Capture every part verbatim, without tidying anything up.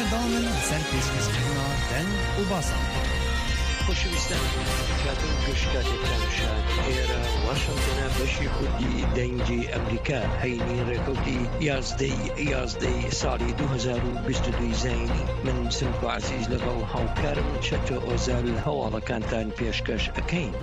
داوام in li ser pêşkêşkirina deng û basan. Xoşewîstan, dîkatên gişka têkramşan. Êra Washingtona beşî Kurdî Dengê Emerîka, heynî rêkewtî yazdey yazdey salî du hezar û bîst û du zayînî. Min Simko Ezîz لەگەڵ هاوکارم چەتۆ ئۆزال هەواڵەکانتان پێشکەش ئەکەین.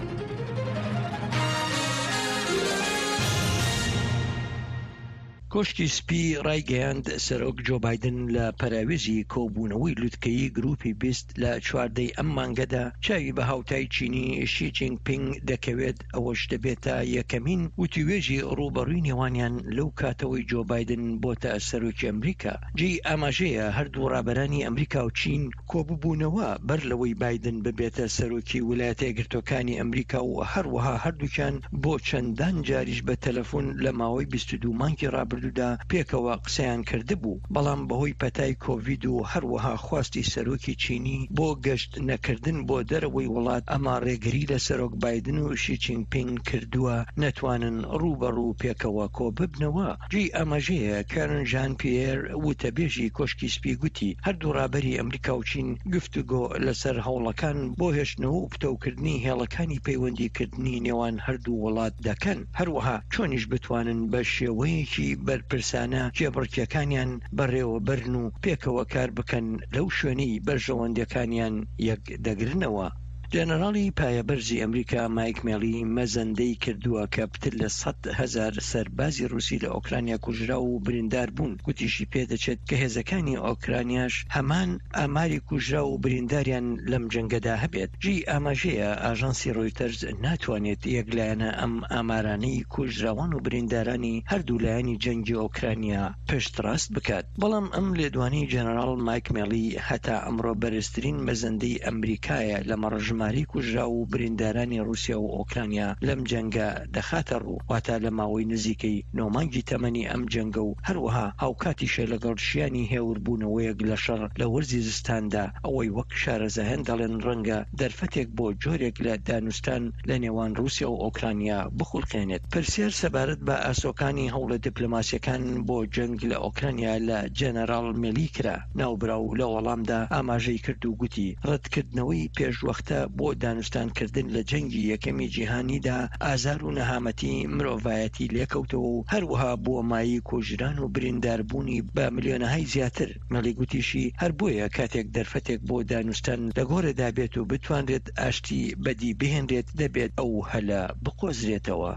کۆشکی سپی ڕایگەیاند سەرۆک جۆ بایدن لە پەراوێزی کۆبوونەوەی لوتکەیی گروپی بیست لە چواردەی ئەم مانگەدا چاوی بە هاوتای چینی شی جینگپینگ دەکەوێت، ئەوەش دەبێتە یەکەمین وتیوێژی ڕوبەڕووی نێوانیان لەو کاتەوەی جۆ بایدن بۆتە سەرۆکی ئەمریکا. جێی ئاماژەیە هەردوو ڕابەرانی ئەمریکا و چین کۆببوونەوە بەر لەوەی بایدن ببێتە سەرۆکی ویلایەتە یەکگرتوەکانی ئەمریکا و هەروەها هەردووکیان بۆ چەندان جاریش بە تەلەفۆن لە ماوەی بیست و دوو مانگی ڕابردوودا پێکەوە قسەیان کردبوو، بەڵام بەهۆی پەتای کۆڤید و هەروەها خواستی سەرۆکی چینی بۆ گەشت نەکردن بۆ دەرەوەی وڵات، ئەمە ڕێگری لە سەرۆک بایدن و شی جینگپینگ کردووە نەتوانن ڕوبەڕوو پێکەوە کۆ ببنەوە. جێی ئاماژەیە کارن ژان پیێر، وتەبێژی کۆشکی سپی، گوتی هەردوو ڕابەری ئەمریکا و چین گفتوگۆ لەسەر هەوڵەکان بۆ هێشتنەوە و پتەوکردنی هێڵەکانی پەیوەندیکردنی نێوان هەردوو وڵات دەکەن، هەروەها چۆنیش بتوانن بە شێوەیەکی بەرپرسانە کێبڕکێکانیان بەڕێوە بەرن و پێکەوە کار بکەن لەو شوێنەی بەرژەوەندەکانیان یەک دەگرنەوە. جەنەراڵی پایەبەرزی ئەمریکا مایک مێڵی مەزەندەی کردووە کە پتر لە سەد هەزار سەربازی ڕووسی لە ئۆکرانیا کوژرا و بریندار بوون. گوتیشی پێدەچێت کە هێزەکانی ئۆکرانیاش هەمان ئاماری کوژرا و برینداریان لەم جەنگەدا هەبێت. جێی ئاماژەیە ئاژانسی ڕۆیتەرز ناتوانێت یەکلایەنە ئەم ئامارانەی کوژراوان و بریندارانی هەردوو لایەنی جەنگی ئۆکرانیا پشتڕاست بکات. بەڵام ئەم لێدوانی جەنەراڵ مایک مێڵی هەتا ئەمڕۆ بەرزترین مەزەندەی ئەمریکایە لە مەڕ ژمارەی کوژرا و بریندارانی ڕووسیا و ئۆکرانیا لەم جەنگە دەخاتە ڕوو، واتە لە ماوەی نزیکەی نۆ مانگی تەمەنی ئەم جەنگە و هەروەها هاوکاتیشە لەگەڵ شیانی هێوربوونەوەیەک لە شەڕ لە وەرزی زستاندا، ئەوەی وەک شارەزایان دەڵێن ڕەنگە دەرفەتێک بۆ جۆرێک لە دانوستان لە نێوان ڕووسیا و ئۆکرانیا بخولقێنێت. پرسیار سەبارەت بە ئاسۆکانی هەوڵە دیپلۆماسیەکان بۆ جەنگ لە ئۆکرانیا لە جەنەراڵ مێلی کرا. ناوبراو لە وەڵامدا ئاماژەی کرد و گوتی ڕەتکردنەوەی پێشوەختە بۆ دانوستانکردن لە جەنگی یەکەمی جیهانیدا ئازار و نەهامەتی مرۆڤایەتی لێکەوتەوە و هەروەها بووە مایەی کوژران و برینداربوونی بە ملیۆنەهای زیاتر. مەلی گوتیشی هەر بۆیە کاتێک دەرفەتێک بۆ دانوستان لە گۆڕێدا بێت و بتوانرێت ئاشتی بەدی بهێنرێت، دەبێت ئەو هەلە بقۆزرێتەوە.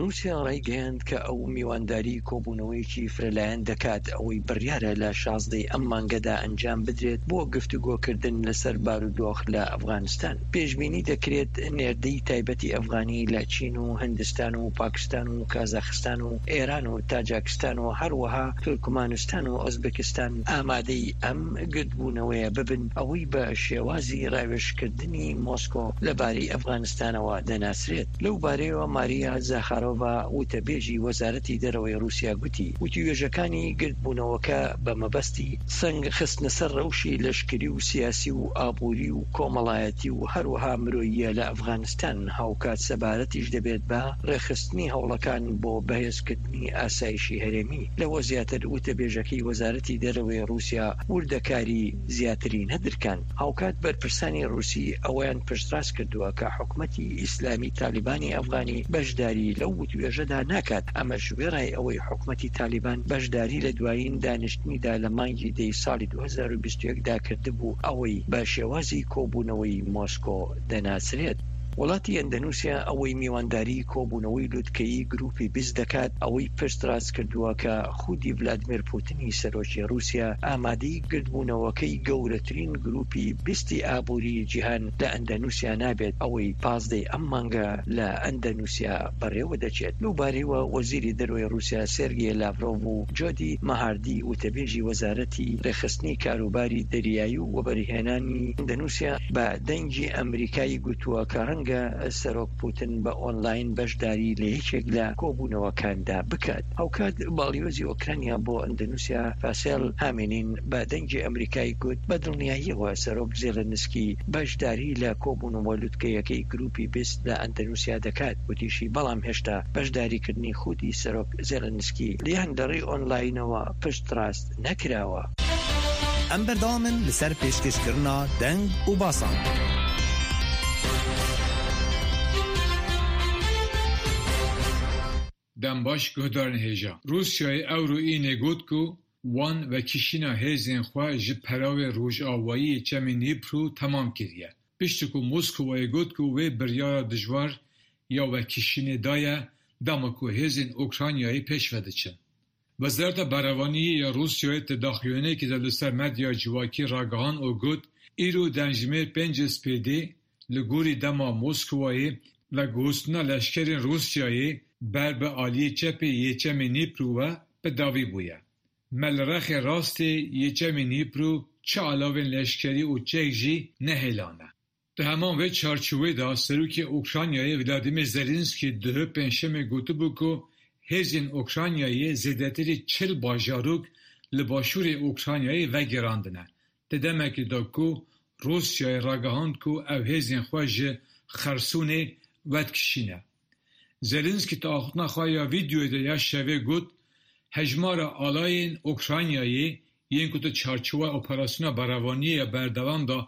رووسیا ڕایگەیاند کە ئەو میوانداری کۆبوونەوەیەکی فرەلایەن دەکات، ئەوەی بڕیارە لە شازدەی ئەم مانگەدا ئەنجام بدرێت بۆ گفتوگۆکردن لەسەر بارودۆخ لە ئەفغانستان. پێشبینی دەکرێت نێردەی تایبەتی ئەفغانی لە چین و هندستان و پاکستان و کازاخستان و ئێران و تاجاکستان و هەروەها تورکمانستان و ئۆزبکستان ئامادەی ئەم گردبوونەوەیە ببن، ئەوەی بە شێوازی ڕاوێژکردنی مۆسکۆ لەبارەی ئەفغانستانەوە دەناسرێت. لەو بارەیەوە ماریا زاخارۆڤا، وتەبێژی وەزارەتی دەرەوەی رووسیا، گوتی وتیوێژەکانی گردبوونەوەکە بە مەبەستی سەنگ خستنە سەر ڕەوشی لەشکری و سیاسی و ئابووری و کۆمەڵایەتی و هەروەها مرۆییە لە ئەفغانستان، هاوکات سەبارەتیش دەبێت بە ڕێخستنی هەوڵەکان بۆ بەهێزکردنی ئاسایشی هەرێمی. لەوە زیاتر، وتەبێژەکەی وەزارەتی دەرەوەی رووسیا وردەکاری زیاتری نەدرکان. هاوکات بەرپرسانی رووسی ئەوەیان پشتڕاست کردووە کە حکومەتی ئیسلامی تالیبانی ئەفغانی بەشداری لەو وتوێژەدا ناکات. ئەمەش وێڕای ئەوەی حکومەتی تالیبان بەشداری لە دوایین دانیشتنیدا لە مانگی دەی ساڵی دوو هەزار و بیست و یەک دا کردبوو، ئەوەی بە شێوازی کۆبوونەوەی مۆسکۆ دەناسرێت. وڵاتی ئەندەنوسیا ئەوەی میوانداری کۆبوونەوەی لوتکەیی گروپی بیست دەکات، ئەوەی پشتڕاست کردووە کە خودی ڤلادمیر پوتنی سەرۆکی رووسیا ئامادەی گردبوونەوەکەی گەورەترین گروپی بیستی ئابووری جیهان لە ئەندەنوسیا نابێت، ئەوەی پازدەی ئەم مانگە لە ئەندەنوسیا بەڕێوە دەچێت. لەو بارەیەوە وەزیری دەرەوەی رووسیا سێرگێ لاڤرۆڤ و جۆدی مەهاردی، وتەبێژی وەزارەتی ڕێخستنی کاروباری دەریایی و وەبەرهێنانی ئەندەنوسیا، بە دەنگی ئەمریکایی گوتووە کە ڕەنگە سەرۆک پوتن بە ئۆنلاین بەشداری لە یەکێک لە کۆبوونەوەکاندا بکات. هاوکات باڵیۆزی ئۆکرانیا بۆ ئەندەنوسیا فاسێل هامێنین بە دەنگی ئەمریکایی گوت بە دڵنیاییەوە سەرۆک زێلنسکی بەشداری لە کۆبوونەوە لوتکەیەکەی گروپی بیست لە ئەندەنوسیا دەکات. وتیشی بەڵام هێشتا بەشداریکردنی خودی سەرۆک زێلنسکی لیان لەڕێی ئۆنلاینەوە پشتڕاست نەکراوە. Em berdewam in li ser pêşkêşkirina deng û basan. Dem baş, guhdarên hêja. Rûsyayê ewro înê got ku wan vekişîna hêzên xwe ji perawê rojavayî yê Çemê Nîpru temam kiriye. Piştî ku Moskowayê got ku wê biryara dijwar ya vekişînê daye, dema ku hêzên Ukraynayê pêş ve diçin. Wezareta Berevaniyê ya Rûsyayê di daxuyaniyekê de li ser medya civakî ragihand û got, îro demjimêr pêncî spêdê li gorî dema Moskowayê veguhostina leşkerên Rûsyayê ber bi aliyê çepê yê Çemê Nîpru ve bi dawî bûye. Me li rexê rastê yê Çemê Nîpru çi alavên leşkerî û çek jî nehêlane. Di heman vê çarçovê de Serokê Ukraynayê Vladimir Zelensky duhê pêncşemê gotibû ku hêzên Ukraynayê zêdetirî çil bajarok li başûrê Ukraynayê vegerandine. Di demekê de ku Rûsyayê ragihand ku ew hêzên xwe ji Xersûnê vedikişîne. Zelensky di axiftina xwe ya vîdeoyê de ya şevê got, hejmara alayên Ukraynayê yên ku di çarçowa operasyona berevaniyê ya berdewam de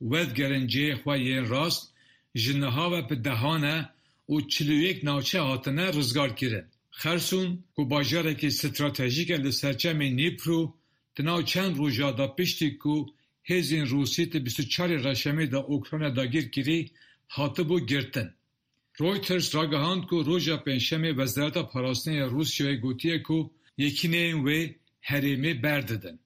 vedigerin cihê xwe yên rast, ji niha ve bi dehan e û çil û yek navçe hatine rizgarkirin. Xersûn, ku bajarekî stratejîk e li serçemê Nîpru, di nav çend roja de piştî ku hêzên Rûsî di bîst û çarê Reşemê de Ukrayna dagîr kirî, hatibû girtin. Reuters ragihand ku roja pêncşemê Wezareta Parastinê ya Rûsyayê gotiye ku yekîneyên wê herêmê berdidin.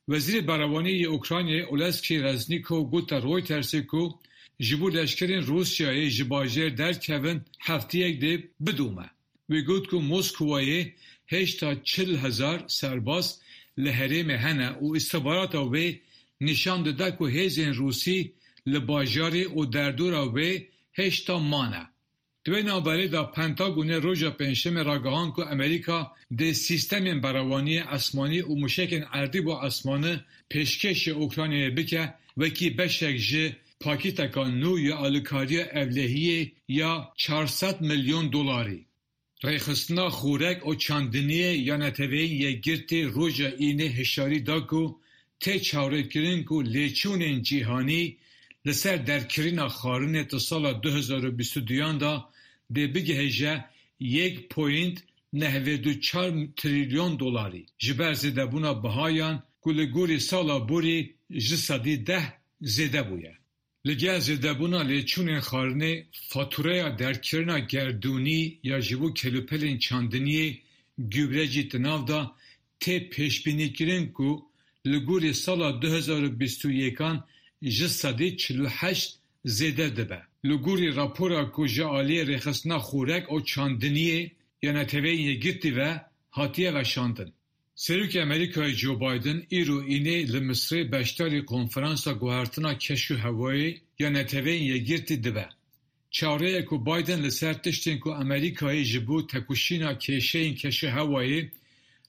Wezîrê Berevaniyê yê Ukraynayê Oleksîy Reznikov gote Reutersê ku ji bo leşkerên Rûsyayê ji bajêr derkevin hefteyek dê bidome. Wî got ku Moskowayê hêşta çil hezar serbaz li herêmê hene û îstixbarata wê nîşan dide ku hêzên Rûsî li bajarê û derdora wê hêşta mane. Di wê navberê de Pentagonê roja pêncşemê ragihand ku Amerîka dê sîstemên berevaniyê esmanî û muşekên erdî bo esmanî pêşkêşê Ukraynayê bike, wekî beşek ji pakîteka nû ya alîkariya ewlehiyê ya çar sed milyon dolarî. Rêxistina Xorek û Çandiniyê ya Neteweyên Yekgirtî roja Înê hişyarî da ku tê çarekirin ku lêçûnên cîhanî li ser derkirina xwarinê di sala du hezar û bîst û duyan de dê bigihêje yek point nehvêd û çar trilyon dolarî, ji ber zêdebûna bihayan ku li gorî sala borî ji sedî deh zêde bûye. Li gel zêdebûna lêçûnên xwarinê, fatûreya derkirina gerdûnî ya ji bo kelûpelên çandiniyê, gübre jî di nav de, tê pêşbînîkirin ku li gorî sala du hezar û bîst û yekan ji sedî çil û heşt zêde dibe. Li gorî rapora ku ji aliyê Rêxistina Xorek û Çandiniyê ya Neteweyên Yekgirtî ve hatiye veşandin. Serokê Amerîkayê Joe Biden îro înê li Misirê beşdarî konferansa guhertina keş û hewayê ya Neteweyên Yekgirtî dibe. Çareya ku Biden li ser tiştên ku Amerîkayê ji bo tekoşîna kêşeyên keş û hewayê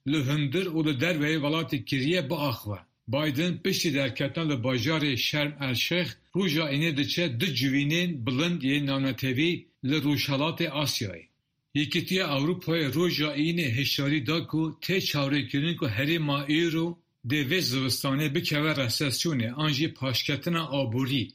li hundir û li derveyê welatê kiriye biaxive. Biden piştî derketina li bajarê Şerm El Şêx roja înê diçe du civînên bilind yên navnetewî li Rojhelatê Asyayê. Yekîtiya Ewropayê roja înê hişyarî da ku tê çarekirin ku herêma îro dê vê zivistanê bikeve resesyonê an jî paşketina aborî,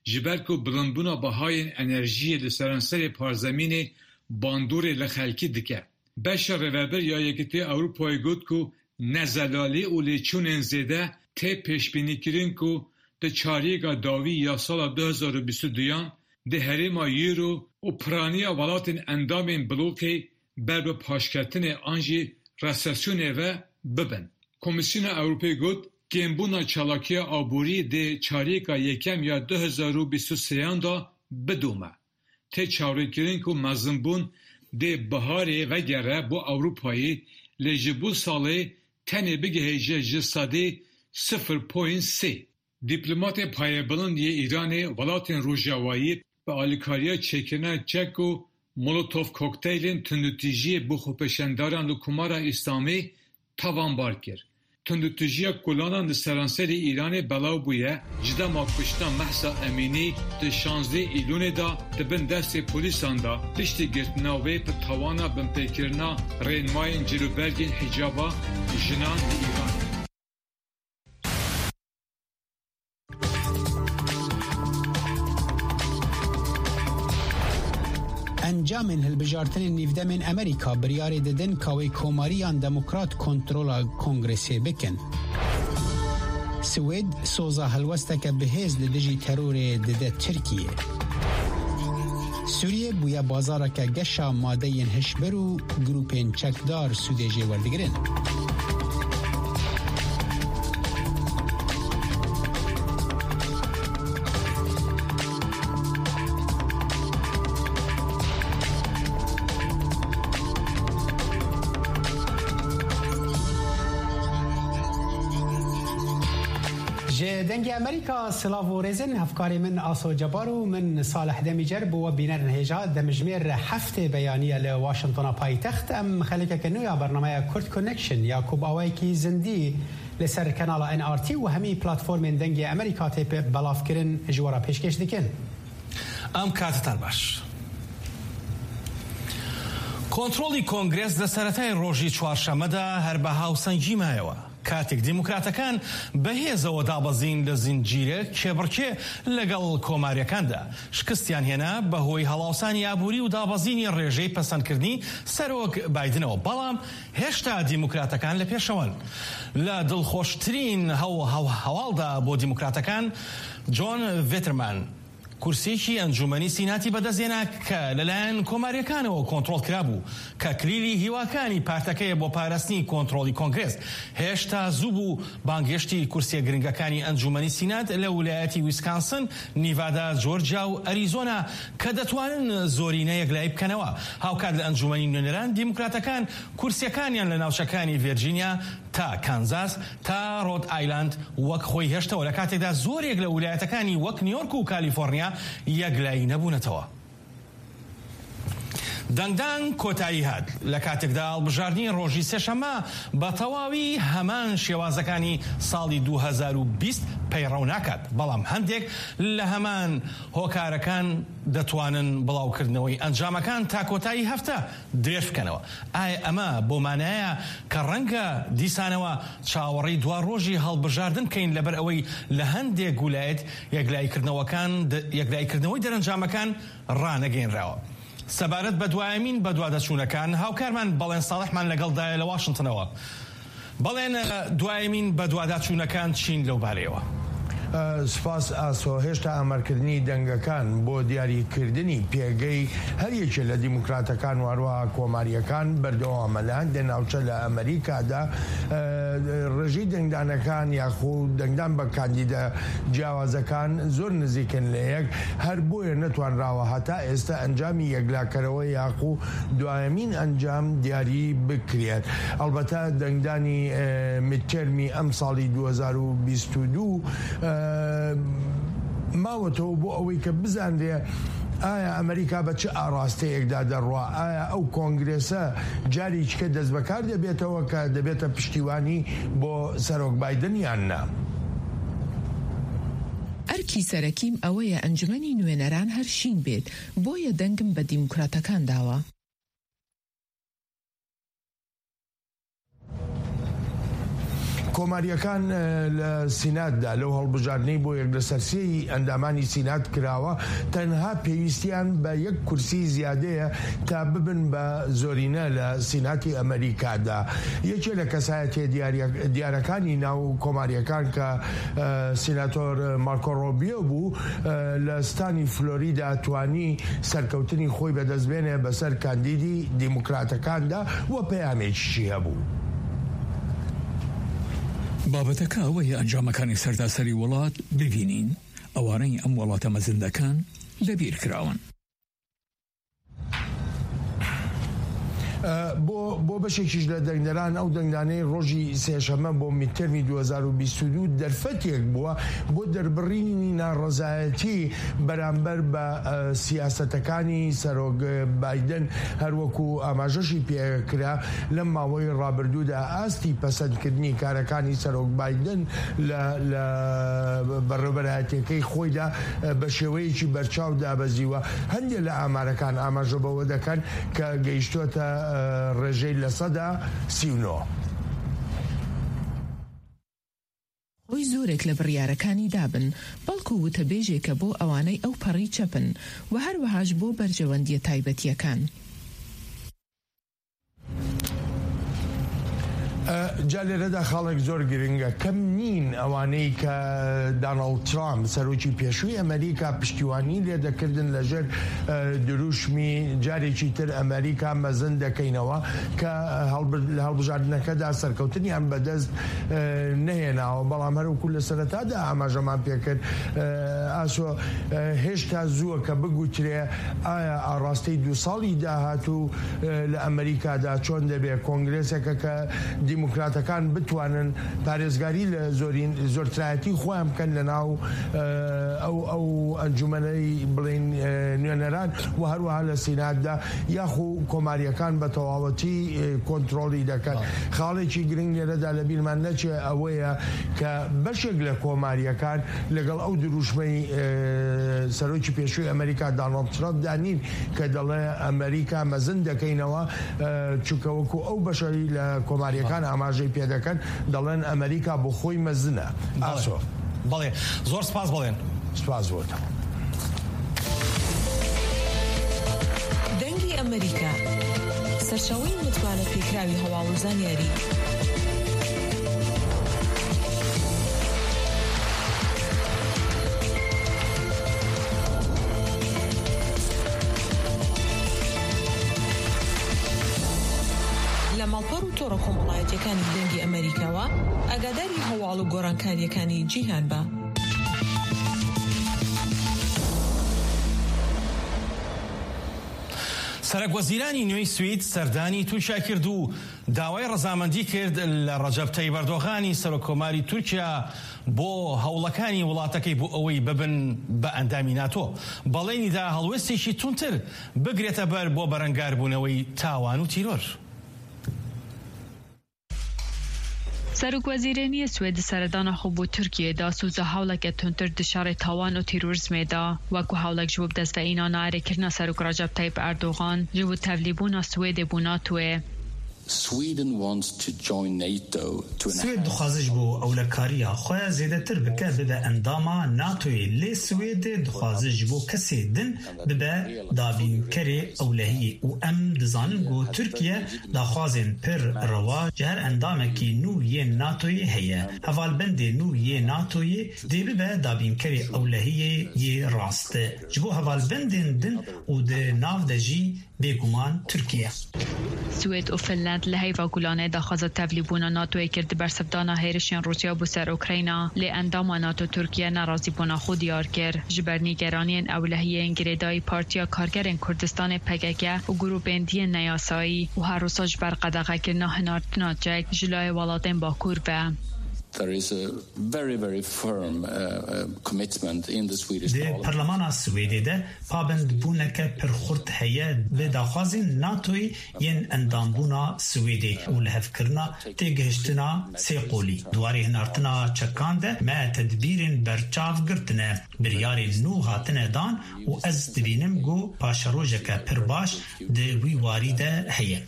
ji ber ku bilindbûna bihayên enerjiyê li seranserê parzemînê bandorê li xelkî dike. Beşa rêvebir ya Yekîtiya Ewropayê got ku nezelalî û lêçûnên zêde tê pêşbînîkirin ku di çariyêka dawî ya sala du hezar û bîst û duyan di herêma Euro û piraniya welatên endamên blokê ber bi paşketinê an jî resesyonê ve bibin. Komîsyona Ewropê got, kêmbûna çalakiya aborî dê çariyêka yekem ya du hezar û bîst û sêyan de bidome. Tê çarekirin ku mezinbûn dê biharê vegere bo Ewropayê, lê ji bo salê tenê bigihêje ji sedê sifir point sê. Dîplomatê payebilind yê Îranê welatên Rojavayî bi alîkariya çêkirina çek û Molotov kokteylên tundûtîjiyê bo xwepêşandaran li Komara Îslamî tawanbar kir. Tundûtîjiya kolanan li seranserê Îranê belav bûye, ji dema kuştina Mehsa Emînî di şazdeh Îlûnê de di bin destê polîsan de, piştî girtina wê bi tawana binpêkirina rênmayên cilûbergên hicaba jinan li Îranê. Encamên hilbijartinên nîvdemên Amerîka biryarê didin ka wê komariyan demokrat kontrola kongresê bikin. Swêd soza helwesteke bihêz li dijî terorê dide Tirkiyê. Sûriye bûye bazareke geşa madeyên hişbir û grûpên çekdar sûdê jê werdigirin. Ji Dengê Amerîka silav û rêzin, hevkarê min Aso Cebar û min Salih Demîcer bo we bînerin hêja. Demjimêr heftê beyaniye li Washingtona paytext. Em xelekeke nû ya bernameya Kurd Connection ya ku bi awayekî zindî li ser kanala N R T û hemî platformên Dengê Amerîka tê pe-, belavkirin ji we re pêşkêş dikin. Em katetan baş. کۆنتڕۆڵی کۆنگرێس لە سەرەتای ڕۆژی چوارشەممەدا هەر بە هاوسەنگی مایەوە، کاتێک دیموکراتەکان بە هێزەوە دابەزین لە زنجیرە کێبڕکێ لەگەڵ کۆماریەکاندا شکستیان هێنا بەهۆی هەڵاوسانی ئابووری و دابەزینی ڕێژەی پەسەندکردنی سەرۆک بایدنەوە، بەڵام هێشتا دیموکراتەکان لە پێشەوەن. لە دڵخۆشترین هەو-، هەو-، هەواڵدا بۆ دیموکراتەکان، جۆن ڤێترمان کورسیەکی ئەنجومەنی سیناتی بەدەستهێنا کە لەلایەن کۆماریەکانەوە کۆنترۆڵ کرابوو، کە کلیلی هیواکانی پارتەکەیە بۆ پاراستنی کۆنترۆڵی کۆنگرێس. هێشتا زوو بوو بانگهێشتی کورسیە گرنگەکانی ئەنجومەنی سینات لە ولایەتی ویسکانسن، نیڤادا، جۆرجیا و ئەریزۆنا کە دەتوانن زۆرینە یەکلایی بکەنەوە. هاوکات لە ئەنجومەنی نوێنەران، دیموکراتەکان کورسیەکانیان لە ناوچەکانی ڤێرجینیا تا کانزاس تا ڕۆد ئایلاند وەک خۆی هێشتەوە، لە کاتێکدا زۆرێک لە ولایەتەکانی وەک نیویۆرک و کالیفۆرنیا یەکلایی نەبوونەتەوە. دەنگدان کۆتایی هات، لە کاتێکدا هەڵبژاردنی ڕۆژی سێشەممە بە تەواوی هەمان شێوازەکانی ساڵی دوو هەزار و بیست پەیڕەو ناکات، بەڵام هەندێک لە هەمان هۆکارەکان دەتوانن بڵاوکردنەوەی ئەنجامەکان تا کۆتایی هەفتە درێژ بکەنەوە. ئایا ئەمە بۆ مانایە کە ڕەنگە دیسانەوە چاوەڕێی دوا ڕۆژی هەڵبژاردن بکەین، لەبەر ئەوەی لە هەندێک ولایەت یەکلاییکردنەوەکان د-، یەکلاییکردنەوەی دەرەنجامەکان ڕانەگەینراوە؟ سەبارەت بە دوایەمین بەدوادەچوونەکان، هاوکارمان بەڵێن ساڵحمان لەگەڵدایە لە واشنتنەوە. بەڵێن، دوایەمین بەدواداچوونەکان چین لەو بارەیەوە؟ ئە، سپاس ئاسۆ. هێشتا ئامارکردنی دەنگەکان بۆ دیاریکردنی پێگەی هەر یەکێ لە دیموکراتەکان و هەروەها کۆماریەکان بەردەوامە. لە هەندێک ناوچە لە ئەمریکادا، ئە، ڕێژەی دەنگدانەکان یاخود دەنگدان بە کاندیدە جیاوازەکان زۆر نزیکن لە یەک، هەر بۆیە نەتوانراوە هەتا ئێستا ئەنجامی یەکلاکەرەوە یاخود دوایەمین ئەنجام دیاری بکرێت. ئەلبەتە دەنگدانی، ئە، میدتێرمی ئەم ساڵی دوو هەزار و بیست و دوو، ئە، ماوەتەوە بۆ ئەوەی کە بزانرێ ئایا ئەمریکا بە چ ئاراستەیەکدا دەڕوا، ئایا ئەو کۆنگرێسە جارێکیکە دەست بەکار دەبێتەوە کە دەبێتە پشتیوانی بۆ سەرۆک بایدن یان نا؟ ئەرکی سەرەکیم ئەوەیە ئەنجومەنی نوێنەران هەر شین بێت، بۆیە دەنگم بە دیموکراتەکان داوە. کۆماریەکان، ئە، لە سیناتدا لەو هەڵبژاردنەی بۆ یەک لەسەر سێی ئەندامانی سینات کراوە، تەنها پێویستیان بە یەک کورسی زیادەیە تا ببن بە زۆرینە لە سیناتی ئەمریکادا. یەکێ لە کەسایەتیە دیاریە-، دیارەکانی ناو کۆماریەکان کە، ئە، سیناتۆر مارکۆ ڕۆبیۆ بوو، ئە، لە ستانی فلۆریدا توانی سەرکەوتنی خۆی بەدەستبێنێ بەسەر کاندیدی دیموکراتەکاندا و پەیامێکیشی هەبوو. بابەتەکە ئەوەیە ئەنجامەکانی سەرتاسەری وڵات ببینین، ئەوانەی ئەم وڵاتە مەزن دەکەن لەبیر کراون. ئە، بۆ، بۆ بەشێکیش لە دەنگدەران، ئەو دەنگدانەی ڕۆژی سێشەممە بۆ میدتێرمی دوو هەزار و بیست و دوو دەرفەتێک بووە بۆ دەربڕینی ناڕەزایەتی بەرامبەر بە، ئە، سیاسەتەکانی سەرۆک بایدن، هەروەکو ئاماژەشی پێکرا لەم ماوەی ڕابردوودا ئاستی پەسەندکردنی کارەکانی سەرۆک بایدن لە، لە بەڕێوەبەرایەتیەکەی خۆیدا، ئە، بە شێوەیەکی بەرچاو دابەزیوە. هەندێک لە ئامارەکان ئاماژە بەوە دەکەن کە گەیشتۆتە، ئە، ڕێژەی لە سەدا سی و نۆ. ئەوەی زۆرێک لە بڕیارەکانی دابن، بەڵکو وتەبێژێکە بۆ ئەوانەی ئەو پەڕی چەپن و هەروەهاش بۆ بەرژەوەندیە تایبەتیەکان. جا لێرەدا خاڵێک زۆر گرنگە، کەم نین ئەوانەی کە داناڵد ترامپ، سەرۆکی پێشووی ئەمریکا، پشتیوانی لێ دەکردن لە ژێر دروشمی جارێکی تر ئەمریکا مەزن دەکەینەوە، کە لە هەڵبژاردنەکەدا سەرکەوتنیان بەدەست نەهێناوە. بەڵام هەروەکو لە سەرەتادا ئاماژەمان پێکرد، ئاسۆ، هێشتا زووە کە بگوترێ ئایا ئاڕاستەی دوو ساڵی داهاتوو لە ئەمریکادا چۆن دەبێ؟ کۆنگرێسێکە کە دیموکراتەکان بتوانن پارێزگاری لە زۆرین زۆرترایەتی خۆیان بکەن لە ناو ئەو ئەو ئەنجومەنەی بڵین نوێنەران و هەروەها لە سیناتدا، یاخو کۆماریەکان بە تەواوەتی کۆنتترۆلی دەکەن. خاڵێکی گرنگ لێرەدا لە بیرمان نەچێ ئەوەیە کە بەشێک لە کۆماریەکان لەگەڵ ئەو دروشمەی سەرۆکی پێشووی ئەمریکا داناڵد ترامپ دانین کە دەڵێ ئەمریکا مەزن دەکەینەوە، چونکە وەکو ئەو بەشەری لە کۆماریەکان ئاماژەی پێ دەکەن، دەڵێن ئەمریکا بۆ خۆی مەزنە. ئاسۆ. بەڵێ، زۆر سپاس بڵێن. سپاس بۆتەوە. دەنگی ئەمریکا، سەرچاوەی متمانە پێکراوی هەواڵ و زانیاری. لە ماڵپەڕ و تۆڕە کۆمەڵایەتیەکانی دەنگی ئەمریکاوە ئاگاداری هەواڵ و گۆڕانکاریەکانی جیهان بە. سەرەک وەزیرانی نوێی سوید سەردانی تورکیا کرد و داوای ڕەزامەندی کرد لە ڕەجەب تەیب ئەردۆغانی سەرۆکۆماری تورکیا بۆ هەوڵەکانی وڵاتەکەی بۆ ئەوەی ببن بە ئەندامی ناتۆ. بەڵێنیدا هەڵوێستێکی تونتر بگرێتە بەر بۆ بەرەنگاربوونەوەی تاوان و تیرۆر. Serokweziraniyê Swêdî seredana xwe bo Tirkiyê da soza hewleke tundtir di şerê tawan û terorîzmê da, wekû hewlek ji bo bi dest ve îna nayarêkirina Serok Recep Tayyip Erdogan ji bo tevlîbûna Swêdê bo NATOyê. Swêd dixwaze ji bo ewlekariya xwe zêdetir bike bibe endama NATOyê, lê Swêd dixwaze ji bo kesê din bibe dabînkerê ewlehiyê û em dizanin ku Tirkiye daxwazên pir rewa ji her endamekî nû yên NATOyê heye. Hevalbendê nû yê NATOyê dê bibe dabînkerê ewlehiyê yê rast. Ji bo hevalbendên din û di nav de jî bêguman Tirkiye. Swêd û Finland li heyva gulanê daxwaza tevlîbûna NATOyê kir di bersivdana hêrişên Rûsya bo ser Ukrayna, lê endama NATO Tirkiye nerazîbûna xwe diyar kir. Ji ber nîgeraniyên ewlehiyê yên girêdayî Partiya Karkerên Kurdistanê P K K û grûpên diyên neyasayî û her wisa ji ber qedexekirina hinartina çek ji layê welatên Bakur ve. There is a very, very firm uh, uh, commitment in the Swedish Di parlemana Swêdê de pabendbûneke pir xurt heye bi daxwazên NATOyê yên endambûna Swêdê û lihevkirina têgihiştina sêqolî. Di warê hinartina çekan de me tedbîrên berçav girtine, biryarên nû hatine dan û ez dibînim ku paşerojeke pir baş di wî warî de heye.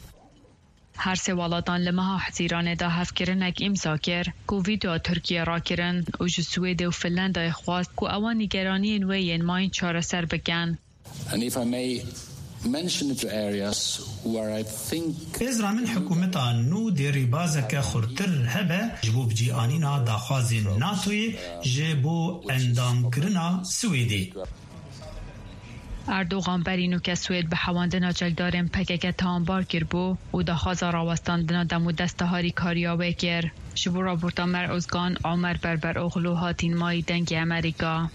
Her sê welatan li meha Hezîranê de hevkirinek îmza kir ku vîtoya Tirkiyê rakirin û ji Swêdê û Finlandayê xwest ku ewan nîgeraniyên wê yên mayîn çareser bikin. And if I may mention a few areas where I think Hêzra min hikûmeta nû dê rêbazeke xurtir hebe ji bo bicîanîna daxwazên NATOyê ji bo endamkirina Swêdê. Erdogan berî nûke Swêd bi hewandina çekdarên P K K tawanbar kiribû û daxwaza rawestandina dem û desta harîkariya wê kir. Ji bo raporta Mer Ozgan, Omer Berberoğlu hatîn mayî Dengê Emerîka.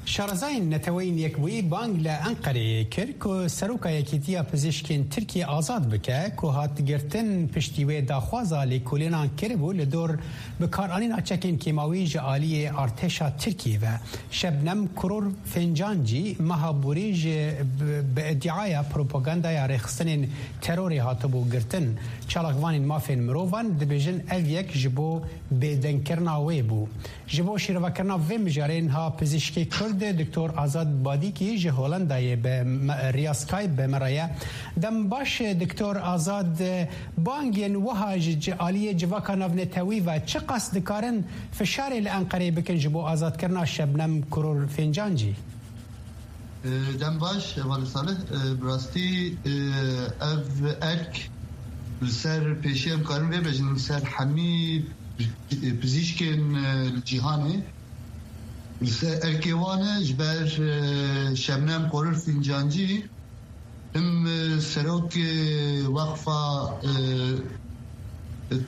Şarezayên Neteweyên Yekbûyî bang li Enqereyê kir ku Seroka Yekîtiya Pizîşkên Tirkiyê azad bike, ku hat girtin piştî wê daxwaza lêkolînan kiribû li dor bikaranîna çekên kêmawî ji aliyê artêşa Tirkiyê ve. Şebnem Kurur Fencancî meha borî ji bi, bi îdiaya propagandaya rêxistinên terorê hatibû girtin. Çalakvanên mafên mirovan dibêjin ev yek ji bo bêdengkirina wê bû. Ji bo şîrovekirina vê mijarê niha pizîşkê Kurd Doktor Azad Badîkî ji Hollandayê bi me, riya Skype bi me re ye. Dem baş, Doktor Azad, bangên wiha ji ci-, aliyê civaka navnetewî ve çiqas dikarin fişarê li Enqereyê bikin ji bo azadkirina Şebnem Kurur Fîncancî? E, dem baş, Hevalê Salih. E, bi rastî, e, ev erk li ser pêşî em karin vê bêjin, li ser hemî, e, pizîşkên, e, li cîhanê, li ser erkê wan e, ji ber, e, Şebnem Korur Fîncancî, him, e, serokê Weqfa, e,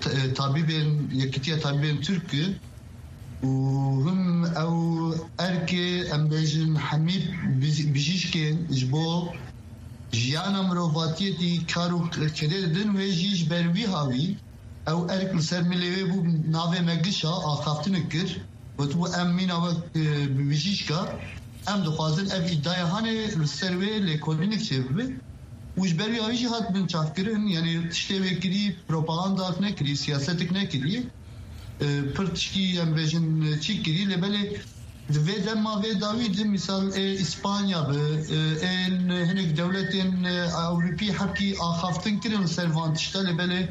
t-, e, Tabîbên, Yekîtiya Tabîbên Tirk e, û him ew erkê, em bêjin, hemî bij-, bijîşkên ji bo jiyana mirovatiyetî kar û kedê didin, wê jî ji ber wî hawî ew erk li ser milê wê bû, navê me gişa axaftinik kir. Gotibû, em mîna wek, e, bijîşka, em dixwazin ev îdaya hanê li ser wê lêkolînik çêbibe. Û ji ber wî hawî jî hat binçavkirin, yanî tiştê wê kirî, propaganda nekirî, siyasetik nekirî. E, pir tişkî, em bêjin, çî kirî, lê belê di vê dema vê dawî de, misal, ê Îspanya bi, e, ên hinek dewletên, e, Ewropî hepkî axaftin kirin li ser van tişta, lê belê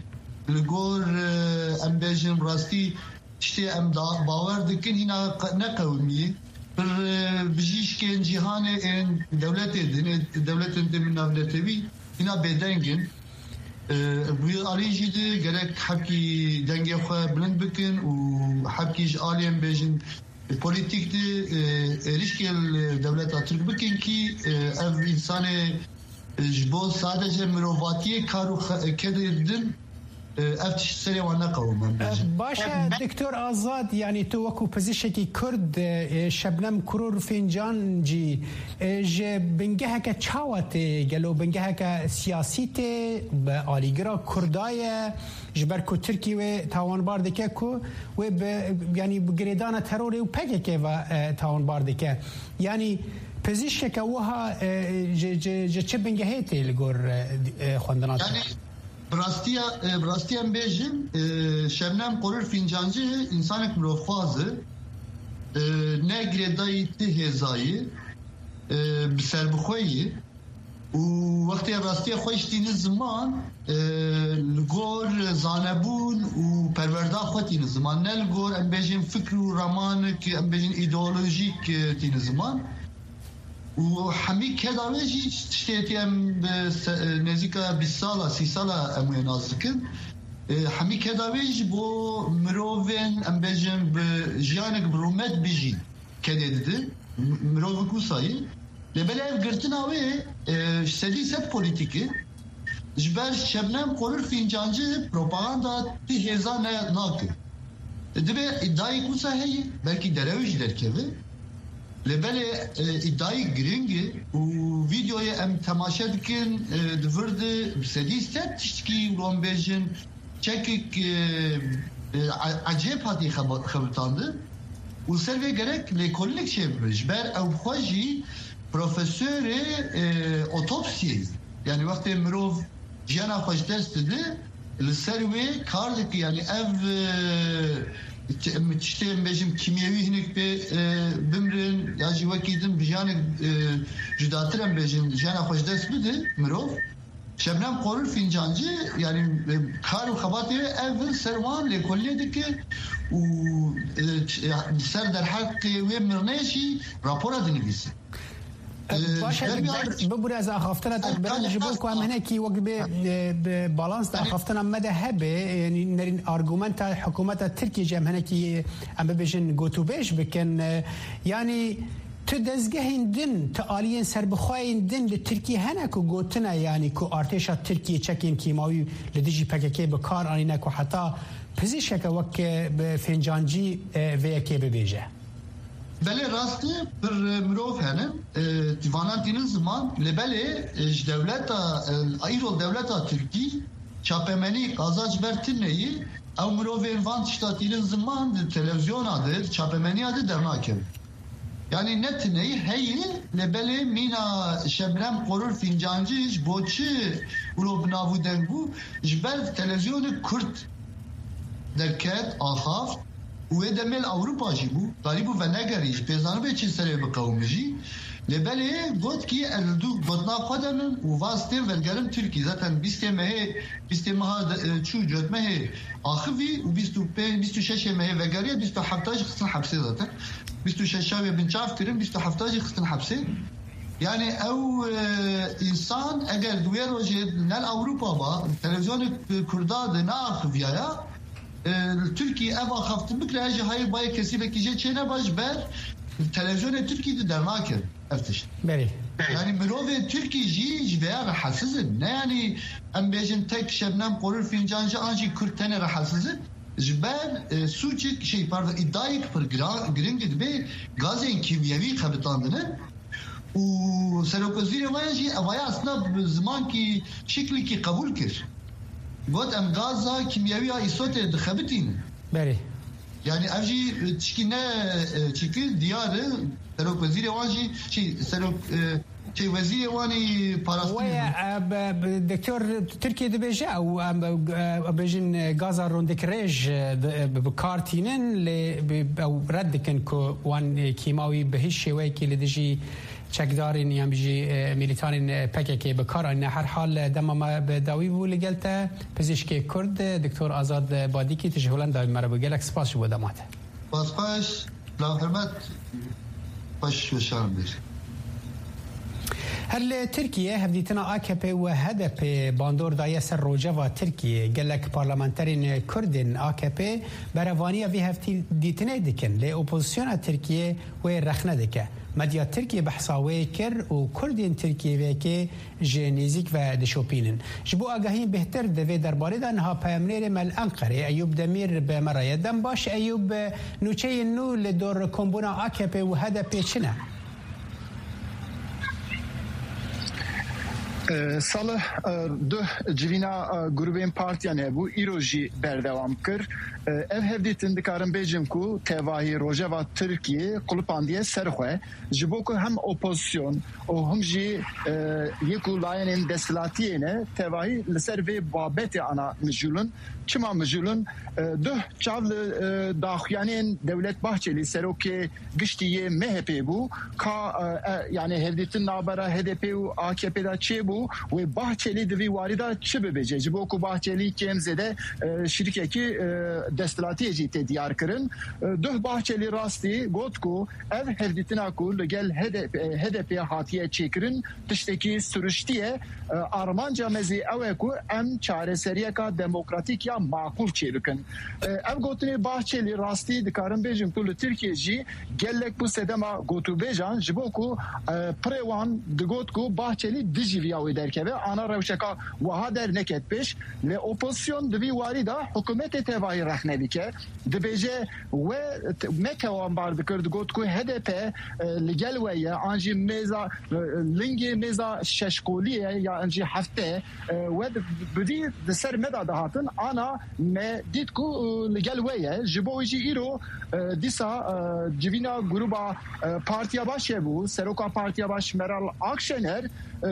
li gor, e, em bêjin, rastî tiştê em da, bawer dikin, hîna qe-, neqewimî. Pir, e, bijîşkên cîhanê ên dewletê din, ê dewletên din navnetewî, hîna bêdeng in. E, bi alî jî de gerek hepkî dengê xwe bilind bikin û hepkî ji aliyên bêjin polîtîk de, e, êrişkê li dewleta Tirk bikin kî, e, ev însanê, e, ji bo sadece mirovatiyê kar û xe-, kedê din, e, ev tişt serê wan neqewim, em bêjin. Baş e, Doktor Azad, yanî tu wekû pizîşekî Kurd, e, Şebnem Kurur Fîncancî, e, ji bingeheke çawa tê? Gelo bingeheke siyasî tê, bi alîgira Kurda ye? Ji ber ku Tirkî wê tawanbar dike ku wê bi, yanî bi girêdana terorê û P K K ve, e, tawanbar dike. Yanî pizîşkeke wiha, e, ji, ji, ji çi bingehê tê li gor, e, e, xwendina te? Yanî bi rastiya, e, bi rastiya em bêjin, e, Şebnem Qorur Fîncancî însanek mirovxwaz e. E, ne girêdayî ti hêzayî, e, bi serbixwe yî. Û wextê rastiya xwe jî tînin ziman, e, li gor zanebûn û perwerda xwe tînin ziman. Ne li gor, em bêjin, fikr û ramanik, em bêjin, îdeolojîk, e, tînin ziman. Û hemî keda wê jî tiştê tê em bi se-, nêzîka bîst sala, sî sala em wê nas dikin. E, hemî keda wê ji bo mirovên, em bêjin, bi jiyanek bi rûmet bijîn. Kedê didin, m-, mirovik wisa ye. Lê belê ev girtina wê, e, sedî sed polîtîk e. Ji ber Şebnem Qorur Fîncancî propaganda ti hêza ne nake. Dibe îdayek wisa heye, belkî derew jî derkeve. Lê belê, e, îdayek giring e û vîdeoyê em temaşe dikin, e, di vir de bi sedî sed tiştkî, wilo em bêjin, çekik, e, e, e-, ecêb hatiye xeba-, xebitandin û ser vê gerek lêkolînek çêbibe. Ji ber ew bi xwe jî profesorê, e, otopsiyê ye. Yanî wextê mirov jiyana xwe ji dest dide, li ser wê kar dike. Yanî ev, e, ti-, em tiştê, em bêjin, kîmyewî hinek pê, e, bimrin ya jî wekî din bi jiyanek, e, cudatir, em bêjin, jiyana xwe ji dest bide mirov. Şebnem Qorur Fîncancî, yanî, e, kar û xebatê wê ev in, ser wan lêkolînê dike û, e, ç-, e, ser derheqê wê mirinê jî rapora dinivîse. E, baş e, ji ber Doktor, bibûre ez axaftina te birim, ji bo ku em hinekî wek bê, e, bi balans de axaftina me de hebe, yanî nerîn argumenta hikûmeta Tirkiyê jî em hinekî, em bibêjin, gotûbêj bikin. E, yanî, Tu dezgehên din, tu aliyên serbixweyên din li Tirkiyê hene ku gotine, yanî ku artêşa Tirkiyê çekên kîmawî li dijî P K K bi kar anîne ku heta pizîşkeke wek, e, bi Fêncancî, e, vê yekê bibêje? Belê, rast e, pir, e, mirov hene, e, dîvanan tînin ziman, lê belê, e, ji dewleta, e, îro dewleta Tirkî çapemenî qaza ji ber tune ye, ew mirovên van tişta tînin ziman di televîzyona de, di çapemeniya de dernakevin. Yanî ne tineyî heye, lê belê mîna Şebnem Qorur Fîncancî ji bo çi wilo bi nav û deng bû? Ji ber televîzyonê Kurd derket, axaft, Û wê demê li Ewropa jî bû, darîbû venegerî, ji pê zanibê çi serê biqewim jî. Lê belê got kî ez li dû gotina xwe de me û va stêm vegerim Tirkî. Zaten bîstê mehê, bîstê meha de, e, çû cotmehê axivî û bîst û pênc, bîst û şeş mehê vegeriye, bîst û hefta jî xistin hepsê zaten. Bîst û şeş wê binçav kirin, bîst û hefta jî xistin hepsê. Yani ew, e, însan eger di wê rojê ne li Ewropa ba, televîzyonê Kurda de neaxiviyaya, e, li Tirkî ev axaftin bikire, ez jî hayê bayê kesî vekî jê çê neba ji ber televîzyonê Tirkî de dernakin ev tişt. Berê. Yani mirovê Tirkî jî ji vêya rehetsiz in. Ne yani em bêjin tek Şebnem Qorûr Fîncancî an jî Kurd tenê rehetsiz in. Ji ber, e, sûcik, şey, pardon, îdayek pir gira-, giring dibe gazên kîmyewî xebitandine. Û serokwezîrê wan jî evaya aslında bi zimankî şiklîkî qebûl kir. Got, em gaza kîmyewî ya îsotê dixebitînin. Berê. Yani ev jî tişkî ne, e, çikî diyar e. Serokwezîrê wan jî, şey, serok, e, şey, wezîrê wan ê parastinê Wê, bû. e, be-, be-, Doktor, Tirkiye dibêje ew, em, e, bêjin, e, gaza rondek rêj, e, di, e, bi kar tînin, lê bi, ew red dikin ku wan, e, kîmawî bi hiç şêweyekî li dijî çekdarên yan jî, e, milîtanên, e, P K K bi kar anîne. Her hal, e, dema me bi dawî bû li gel te, pizîşkê Kurd, e, Doktor Azad, e, Badîkî, tu ji Holendayê me re bû. Gelek spas ji bo dema te. Spas xweş, la hurmet, xweş weşan bir. Her li Tirkiye hevdîtina A K P û H D P bandor daye ser rojeva Tirkiye. Gelek parlamenterên Kurd ên A K P berevaniya vê hevdîtinê dikin, lê opozisyona Tirkiye wê rexne dike. Medya Tirkiye behsa wê kir û Kurdên Tirkiye vê yekê ji nêzîk ve dişopînin. Ji bo agahiyên bêhtir di vê derbarê de niha peyamnêrê me li Enqerê Eyûb Demîr bi me re ye. Dem baş Eyûb, nûçeyên nû li dor kombûna A K P û H D P çi ne? E, Salih, e, duh civîna, e, grûbên partiyan hebû, îro jî berdewam kir. E, ev hevdîtin dikarim bêjim ku tevahî rojeva Tirkiyê qulupandiye ser xwe, ji bo ku hem opozisyon û him jî, e, yek û layenên desthilatiyê ne tevahî li ser vê babetê ana mijûl in. Çima mijûl in? E, duh çav li, e, daxuyanên Dewlet Bahçelî, serokê giştî yê M H P bû, ka, e, e, yani hevdîtin navbera H D P û A K P de çêbû, wê Bahçelî di vî warî de çi bibêje? Ji bo ku Bahçelî kêm zêde, e, şirîkekî, e, desthilatiyê jî tê diyar kirin. E, duh Bahçelî rastî got ku ev hevdîtina ku li gel H D P, H D P hatiye çêkirin, tiştekî siruştî ye. E, armanca me zî ew e ku em çareseriyeka demokratîk ya maqûl çêbikin. E, ev gotinê Bahçelî rastî dikarin bêjin ku li Tirkiye jî gelek bû sedema gotûbêjan, ji bo ku, e, pirê wan digot ku Bahçelî dijî viya wê derkeve, ana rewşeka wiha derneket pêş. Lê opozisyon di vî warî de hikûmetê tevahî rexne dike. Dibêje we t-, me tewanbar dikir, digot ku H D P, e, li gel we ye, an jî mêza, e, lingê mêza şeşkolî ye, ya an jî hefte, e, we di, bi vî di ser me de dihatin, ana me dît ku, e, li gel we ye. Ji bo wî jî îro, e, dîsa, e, civîna grûba, e, Partiya Baş hebû, seroka Partiya Baş Meral Akşener, e,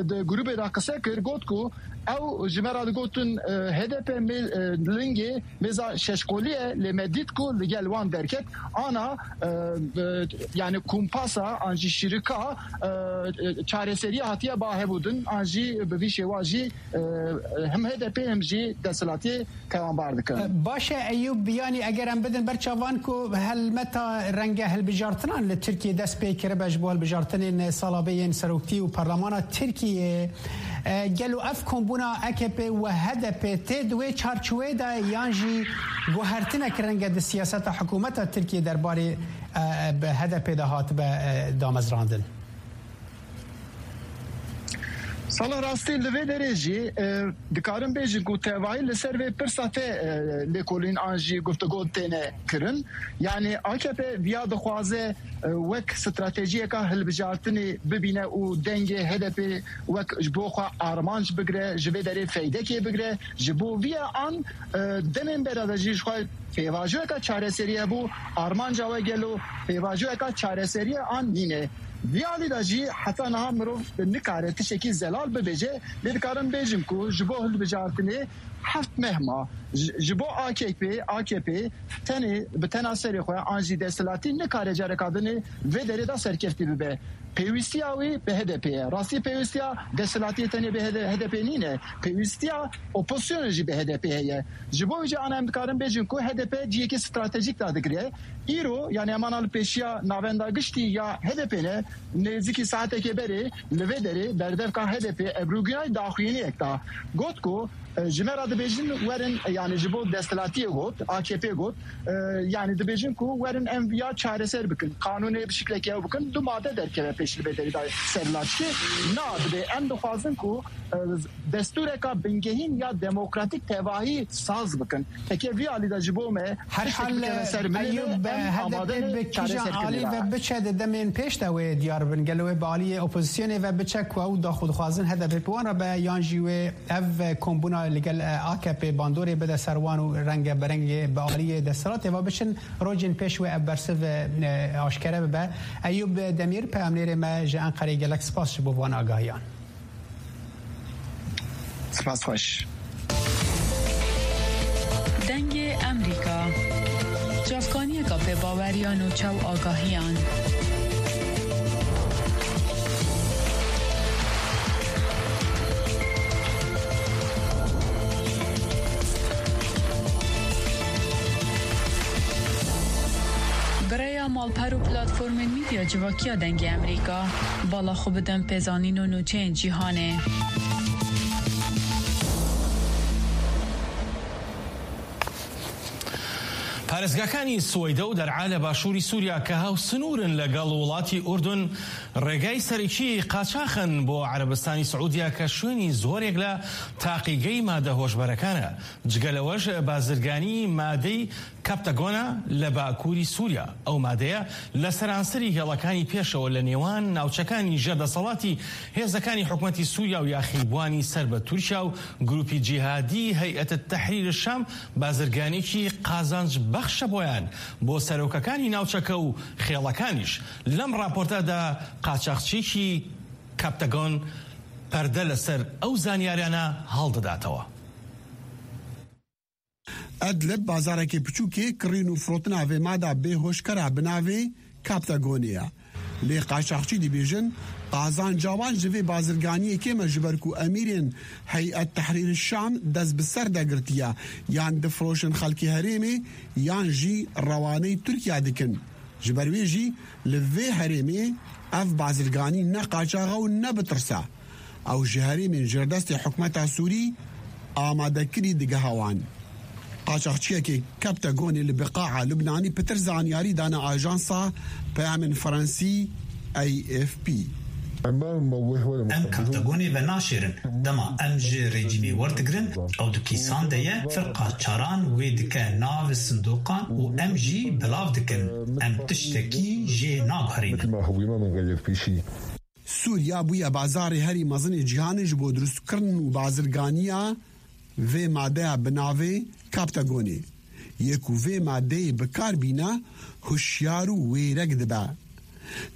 di grûbê de qise kir, got ku ew ji me re digotin, e, H D P mê-, e, lingê mêza şeşkolî ye, lê me dît ku li gel wan derket, ana, e, e, yani kumpasa an jî şirika, e, e, çareseriya hatiye ba hebûdin, an jî bi vî şêwa jî, e, e, him H D P him jî desthilatiyê tewanbar dikin. Baş e Eyûb, yanî eger em bidin ber çavan ku helmeta renge hilbijartinan li Tirkiyê dest pê kiribe ji bo hilbijartinên sala bê yên seroktî û parlemana Tirkiyê, e, gelo ev kombûna A K P û H D P tê di wê çarçovê de yan jî guhertinek renge di siyaseta hikûmeta Tirkiyê derbarê, e, bi H D P de hatibe, e, damezrandin? Salih, rastî li vê derê jî, e, dikarin bêjin ku tevahî li ser vê pirsa te, e, lêkolîn an jî guftego têne kirin. Yani A K P viya dixwaze, e, wek stratejiyeka hilbijartinê bibîne û dengê H D P wek ji bo xwe armanc bigire, ji vê derê feydekê bigire. Ji bo viya an, e, demên bera de jî ji xwe pêvajoyeka çareserî hebû, armanca we gelo pêvajoyeka çareserî ye an nîne? Vî alî de jî heta niha mirov nikare tiştekî zelal bibêje, lê dikarim bêjim ku ji bo hilbijartinê heft meh ma. Ji, ji bo A K P, A K P tenê bi tena serê xwe an jî desthilatî nikare careka din vê derê de serkeftî bibe. Pêwîstiya wî bi H D P ye. Rastî pêwîstiya desthilatiyê tenê bi H D P nîne. Pêwîstiya opozisyonê jî bi H D P heye. Ji bo wî jî ana em dikarin bêjin ku H D P cihekî stratejîk dadigire. Îro, yani em ana li pêşiya navenda giştî ya H D P ne, nêzîkî saetekê berê li vê derê berdevka H D P Ebru Günay daxuyaniyek da. Got ku, e, ji me re dibêjin werin, yani ji bo desthilatiyê got, A K P got, e, yani dibêjin ku werin em viya çareser bikin, qanûnê bi şiklekî ew bikin, du made derkeve pêş li vê derê de ser laşkê. Na, dibê em dixwazin ku, e, destûreka bingehîn ya demokratîk tevahî saz bikin. Heke vî alî de ji bo me Her tiştek hal, bikeve ser milê me, Eyûb, em amade H D P ne bi kîjan çareserkirinê alî de. Ve biçe di demên pêş de wê diyar bin? Gelo wê bi aliyê opozisyonê ve biçe ku ew da xwe dixwazin H D P bi wan re be, yan jî wê ev kombûna li gel, e, A K P bandorê bide ser wan û renge berengê bi aliyê desthilatê ve biçin, rojên pêş wê ev bersiv, e, aşkere bibe? Eyûb Demîr, peyamnêrê me ji Enqerê, gelek spas ji bo van agahiyan. Spas xweş. Dengê Emerîka. Çavkaniyeka pê baweriya nûçe û agahiyan. Bi rêya malper û platformên medya civakî ya Dengê Emerîka, bala xwe bidin pêzanîn û nûçeyên cîhanê. پارێزگاکانی سوەیدە و دەرعا لە باشووری سووریا کە هاوسنوورن لەگەڵ وڵاتی ئوردون، ڕێگای سەرەکی قاچاخن بۆ عەرەبستانی سعودیا کە شوێنی زۆرێک لە تاقیگەی مادە هۆشبەرەکانە. جگە لەوەش بازرگانی مادەی کەپتەگۆنە لە باکووری سووریا. ئەو مادەیە لە سەرانسەری هێڵەکانی پێشەوە لە نێوان ناوچەکانی ژێردەسەڵاتی هێزەکانی حکومەتی سووریا و یاخیبووانی سەر بە تورکیا و گروپی جیهادی هەیئەت تەحریر شام بازرگانێکی قازانج بەخشە بۆیان، بۆ سەرۆکەکانی ناوچەکە و خێڵەکانیش. لەم ڕاپۆرتەدا قاچاخچیەکی کەپتەگۆن پەردە لەسەر ئەو زانیاریانە هەڵدەداتەوە. ئەدلب بازارێکی بچووکێ کڕین و فرۆتنا vê mada bê hoşkera bi navê Kaptagonê ye. Lê qaçaxçî dibêjin, qazanca wan ji vê bazirganiyê kêm e, ji ber ku emîrên Heyet Tehrîr Şam dest bi ser de girtiye, yan difiroşin xelkê herêmê, yan jî rewaneyî Tirkiye dikin. Ji ber wê jî li vê herêmê ev bazirganî ne qaçax e û ne bi tirs e. Ew ji herêmên jêrdestê hikûmeta Sûrî amadekirî digeha wan. Qaçaxçiyekê Kaptagonê li Biqaa Lubnanî pitir zanyarî dane ajansa peyamên Fransî A F P. Em Kaptagonê venaşêrin. Dema em ji rejîmê werdigrin, ew di kîsan de ye, firqa çaran wê dike nav sindoqan û em jî belav dikin. Em tiştekî jê naguherînin. Sûriya bûye bazarê herî mezinê cîhanê ji bo dirustkirin û bazirganiya vê madeya bi navê Kaptagonê. Yê ku vê madeyê bi kar bîne, hişyar û wêrek dibe.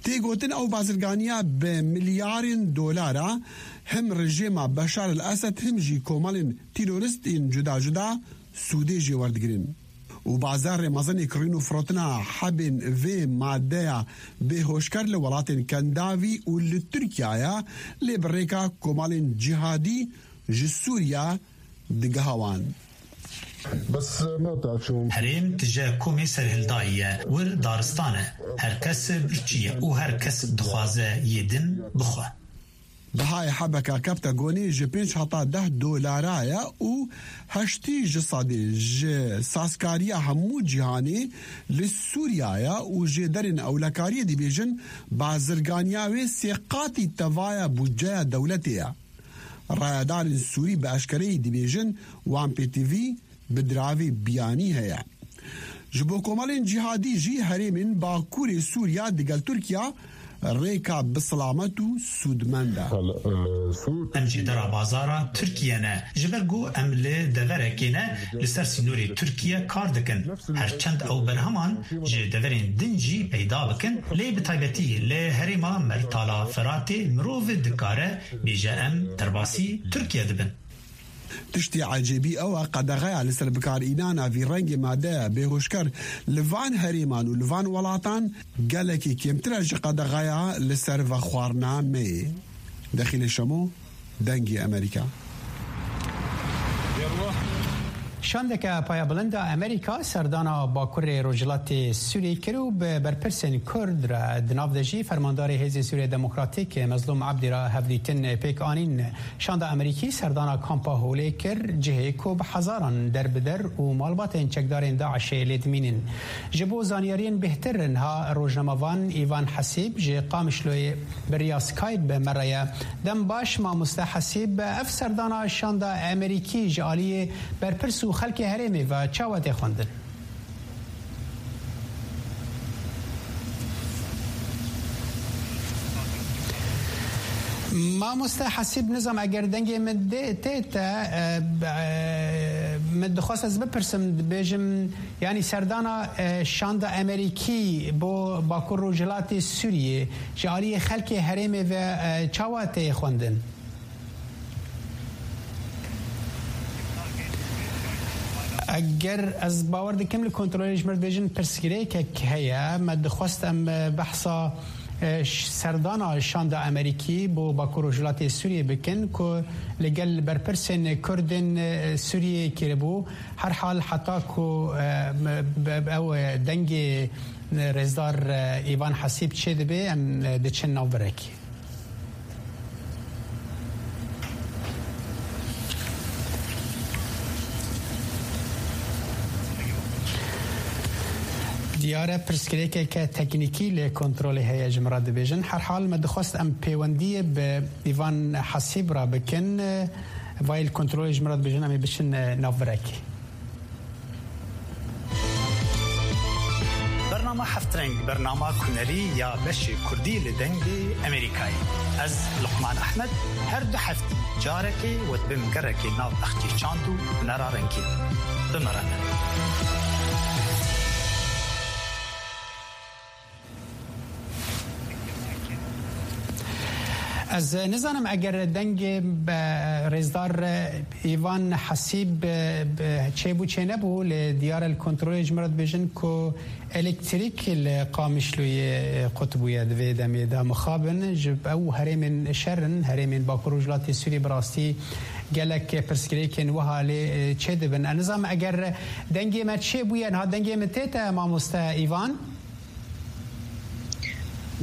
Tê gotin ew bazirganiya bi milyarên dolara him rejêma Beşar el Esed him jî komelên terorîst ên cuda cuda sûdê jê werdigirin. Û bazarê mezinê kirîn û firotina hebên vê madeya bê hoşker li welatên Kendavî û li Tirkiye ye, lê bi rêka komalên cîhadî ji Sûriya digeha wan. Herêm tije komê serhildayî ye, wir daristan e. Her kes birçî ye û her kes dixwaze yê din bixwe. Bihayê hebeka Kaptagonê ji pênc heta deh dolara ye û heştî ji sedê ji sazkariya hemû cîhanê li Sûriya ye û jêderên ewlekariyê dibêjin bazirganiya wê sê qatî tevaya budceya dewletê ye. Rayedarên Sûrî bi eşkereyî dibêjin wan pêtivî bi diravê biyanî heye. Ji bo komelên cîhadî jî herêmên Bakurê Sûriya digel Tirkiya rêka bi silamet û sûdmend e. Em jî dera bazara Tirkiye ne, ji ber ku em li deverekê ne, li ser sînorê Tirkiye kar dikin. Her çend ew berheman ji deverên din jî peyda bikin, lê bi taybetî li herêma Mertala Feratê mirov dikare bêje em derbasî Tirkiye dibin. Tiştê ecêbî ew e, qedexeya li ser bikarînana vî rengê madeya bêhoşker li van herêman û li van welatan gelekî kêmtir e ji qedexeya li ser vexwarina meyê. Dexîlê Şemo, Dengê Amerîka. Şandeke payebilind a Amerîka serdana Bakurê Rojhilatê Sûriyê kir û bi berpirsên Kurd re, di nav de jî fermandarê Hêzên Sûriya Demokratîk Mezlûm Ebdî re hevdîtin pêk anîn. Şanda Amerîkî serdana kampa Holê kir, cihê ku bi hezaran derbider û malbatên çekdarên DAIŞê lê dimînin. Ji bo zanyariyên bêhtir, niha rojnamevan Îvan Hesîb ji Qamişloyê bi riya Skype bi me re ye. Dem baş, mamoste Hesîb, ev serdana şanda Amerîkî ji aliyê berpirs û xelkê herêmê ve çawa tê xwendin? Mamoste Hesîb, nizam eger dengê min dê tê te, e, e, min dixwest ez bipirsim, dibêjim, yanî serdana, e, şanda Amerîkî bo Bakur Rojhilatê Sûriyê ji aliyê xelkê herêmê ve, e, çawa tê xwendin? Eger ez bawer dikim li kontrolê ji mir dibêjin pirsgirêkek heye. Me dixwest em, e, behsa, e, ş-, serdana şanda Amerîkî bo Bakur Rojhilatê Sûriyê bikin ku li gel berpirsên Kurdên, e, Sûriyê kiribû. Her hal heta ku, e, me, be, be, ew, e, dengê, e, rêzdar, e, Îvan Hesîb çêdibe, em, e, diçin nav virekê. Diyar e, pirsgirêkeke teknîkî li kontrolê heye, ji min re dibêjin. Her hal me dixwest em pêwendiyê bi Îvan Hesîb re bikin. Vayê li kontrolê ji min re dibêjin, em ê biçin nav virekê. Bernama Heft Reng, bernama kunerî ya beşê kurdî li Dengê Amerîkayê. Ez, Luqman Ehmed, her du heftî carekê we dibim gerekê nav bexçê çand û hunera rengîn. Bi me re bin. Ez nizanim eger dengê, e, rêzdar, e, Îvan Hesîb, e, e, çêbû çênebû, lê diyar e li kontrolê ji min re dibêjin ku elektrîk li Qamişloyê, e, qut bûye di vê demê de. Mixabin ji ew herêmên şer in, herêmên Bakur Rojhilatê Sûriyê bi rastî gelek pirsgirêkên wiha lê, e, çêdibin. Ez nizanim eger dengê me çêbûye, niha dengê min tê te, mamoste Îvan?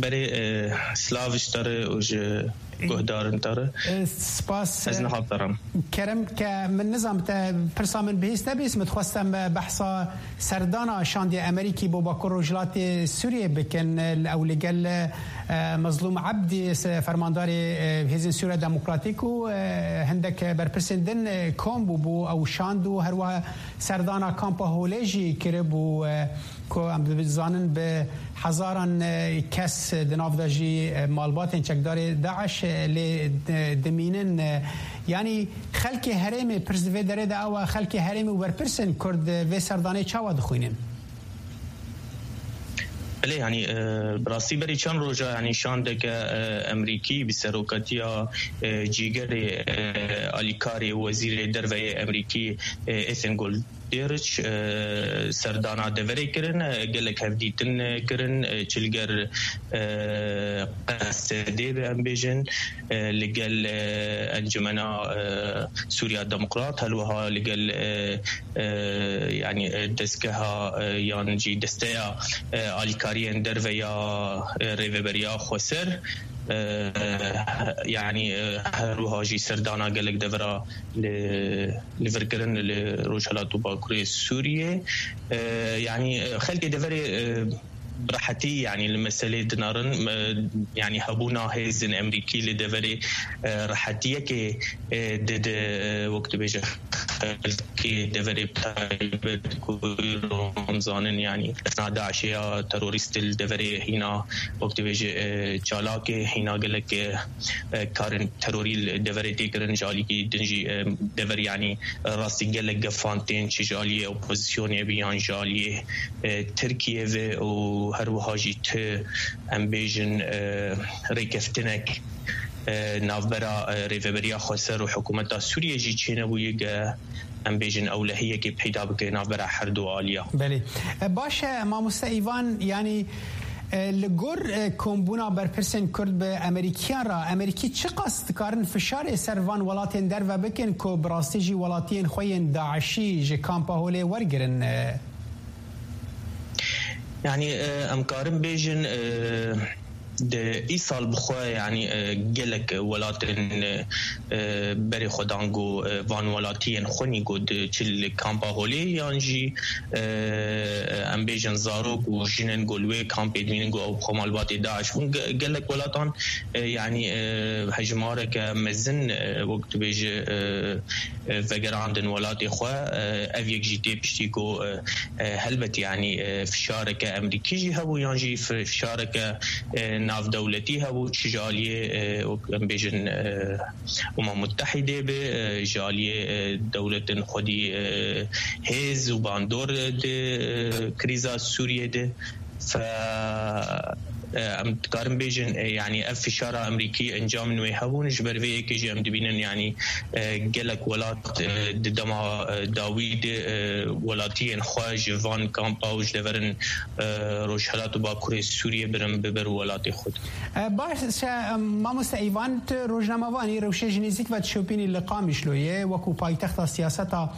Berê, e, silav ji te re û ji guhdarên te re. E, spas, Ez e, niha feram. Kerem ke min nizam te pirsa min bihîst nebîst, min dixwest em, e, behsa serdana şandê Amerîkî bo Bakur Rojhilatê Sûriyê bikin. E, ew li gel, e, Mezlûm Ebdî, se-, fermandarê, e, Hêzên Sûriya Demokratîk û, e, hindek berpirsên din, e, kom bû bo ew şand û herwiha serdana kampa Holê jî kiribû, e, ku em dizanin bi hezaran, e, kes di nav de jî, e, malbatên çekdarê DAIŞ, e, lê, e, dimînin. E, yanî xelkê herêmê, pirs di vê derê de ew e, xelkê herêmê û berpirsên Kurd, e, vê serdanê çawa dixwînin? Belê, yanî, e, bi rastî berî çend roja, yanî şandeke, e, Emerîkî bi serokatiya, e, cîgerê, e, alîkarê û wezîrê derve yê Emerîkî, e, Ethan Gold Dêriç, e, serdana deverê kirin, e, gelek hevdîtin, e, kirin, e, çi li gel, e, Q S D be em bêjin, e, li gel, e, Encumena, e, Sûriya Demokrat, her wiha li gel, e, e, yanî, e, dezgeha, e, yan jî desteya, e, alîkariyên derve ya, e, Rêveberiya Xweser, e, yanî, e, her wiha jî serdana gelek devera li, li vir kirin li Rojhilat û Bakurê Sûriyê. E, yanî, e, xelkê deverê, e, bi rehetî, yanî li meselê dinarin, e, yanî hebûna hêzên Emerîkî li deverê, e, rehetiyekê, e, dide, e, wek dibêje xelkê deverê bi taybet ku em zanin, yanî esna DAIŞê ya terorîst li deverê hîna, wek dibêje, e, çalakê hîna gelek, e, e, karên terorî li deverê tê kirin, ji alîkî din jî, e, dever, yanî rastî gelek gefan tên, çi ji aliyê opozisyonê bi yan ji aliyê, e, Tirkiyê ve û her wiha jî ti, em bêjin, e, rêkeftinek, e, navbera, e, Rêveberiya Xweser û hikûmeta Sûriyê jî çênebûye ge, em bêjin, ewlehiyekê peyda bike navbera her du aliya. Belê. E, baş e, mamoste Îvan, yanî, e, li gor, e, kombûna berpirsên Kurd bi Amerîkiyan re, Amerîkî çiqas dikarin fişarê ser van welatên derve bikin ku bi rastî jî welatiyên xwe yên DAIŞî ji kampa holê wergirin? E, Yanî, e, em karin bêjin, e, di îsal bi xwe, yanî, e, gelek welatên, e, berê xwe dan ku, e, van welatiyên xwe nî ku di çi li kampa holê yan jî, e, em bêjin zarok û jinên ku li wê kampê dibînin ku ew bi xwe malbatê DAIŞ bûn. Ge-, gelek welatan, e, yanî, e, hejmareke mezin, e, wek dibêje, e, e, vegerandin welatê xwe. E, ev yek jî tê piştî ku, e, e, helbet, yanî, e, fişareke Amerîkî jî hebû, yan jî fi-, fişareke, e, navdewletî hebû, çi ji aliyê, e, wek em bêjin, e, Umem Mutehîdê be, e, ji aliyê, e, dewletên xwedî, e, hêz û bandor di, e, krîza Sûriyê de. Fe, e, em dikarin bêjin, e, yanî ev fişara Amerîkî encamên wê hebûn, ji ber vê yekê jî em dibînin, yanî, e, gelek welat, e, di dema, e, dawî de, e, welatiyên xwe ji van kampa û ji deverên, e, Rojhilat û Bakurê Sûriyê birin biber welatê xwe de. E, baş e, mamoste Îvan, tu rojnamevanî, rewşê ji nêzîk ve dişopînî li Qamişloyê, wekû paytexta siyaseta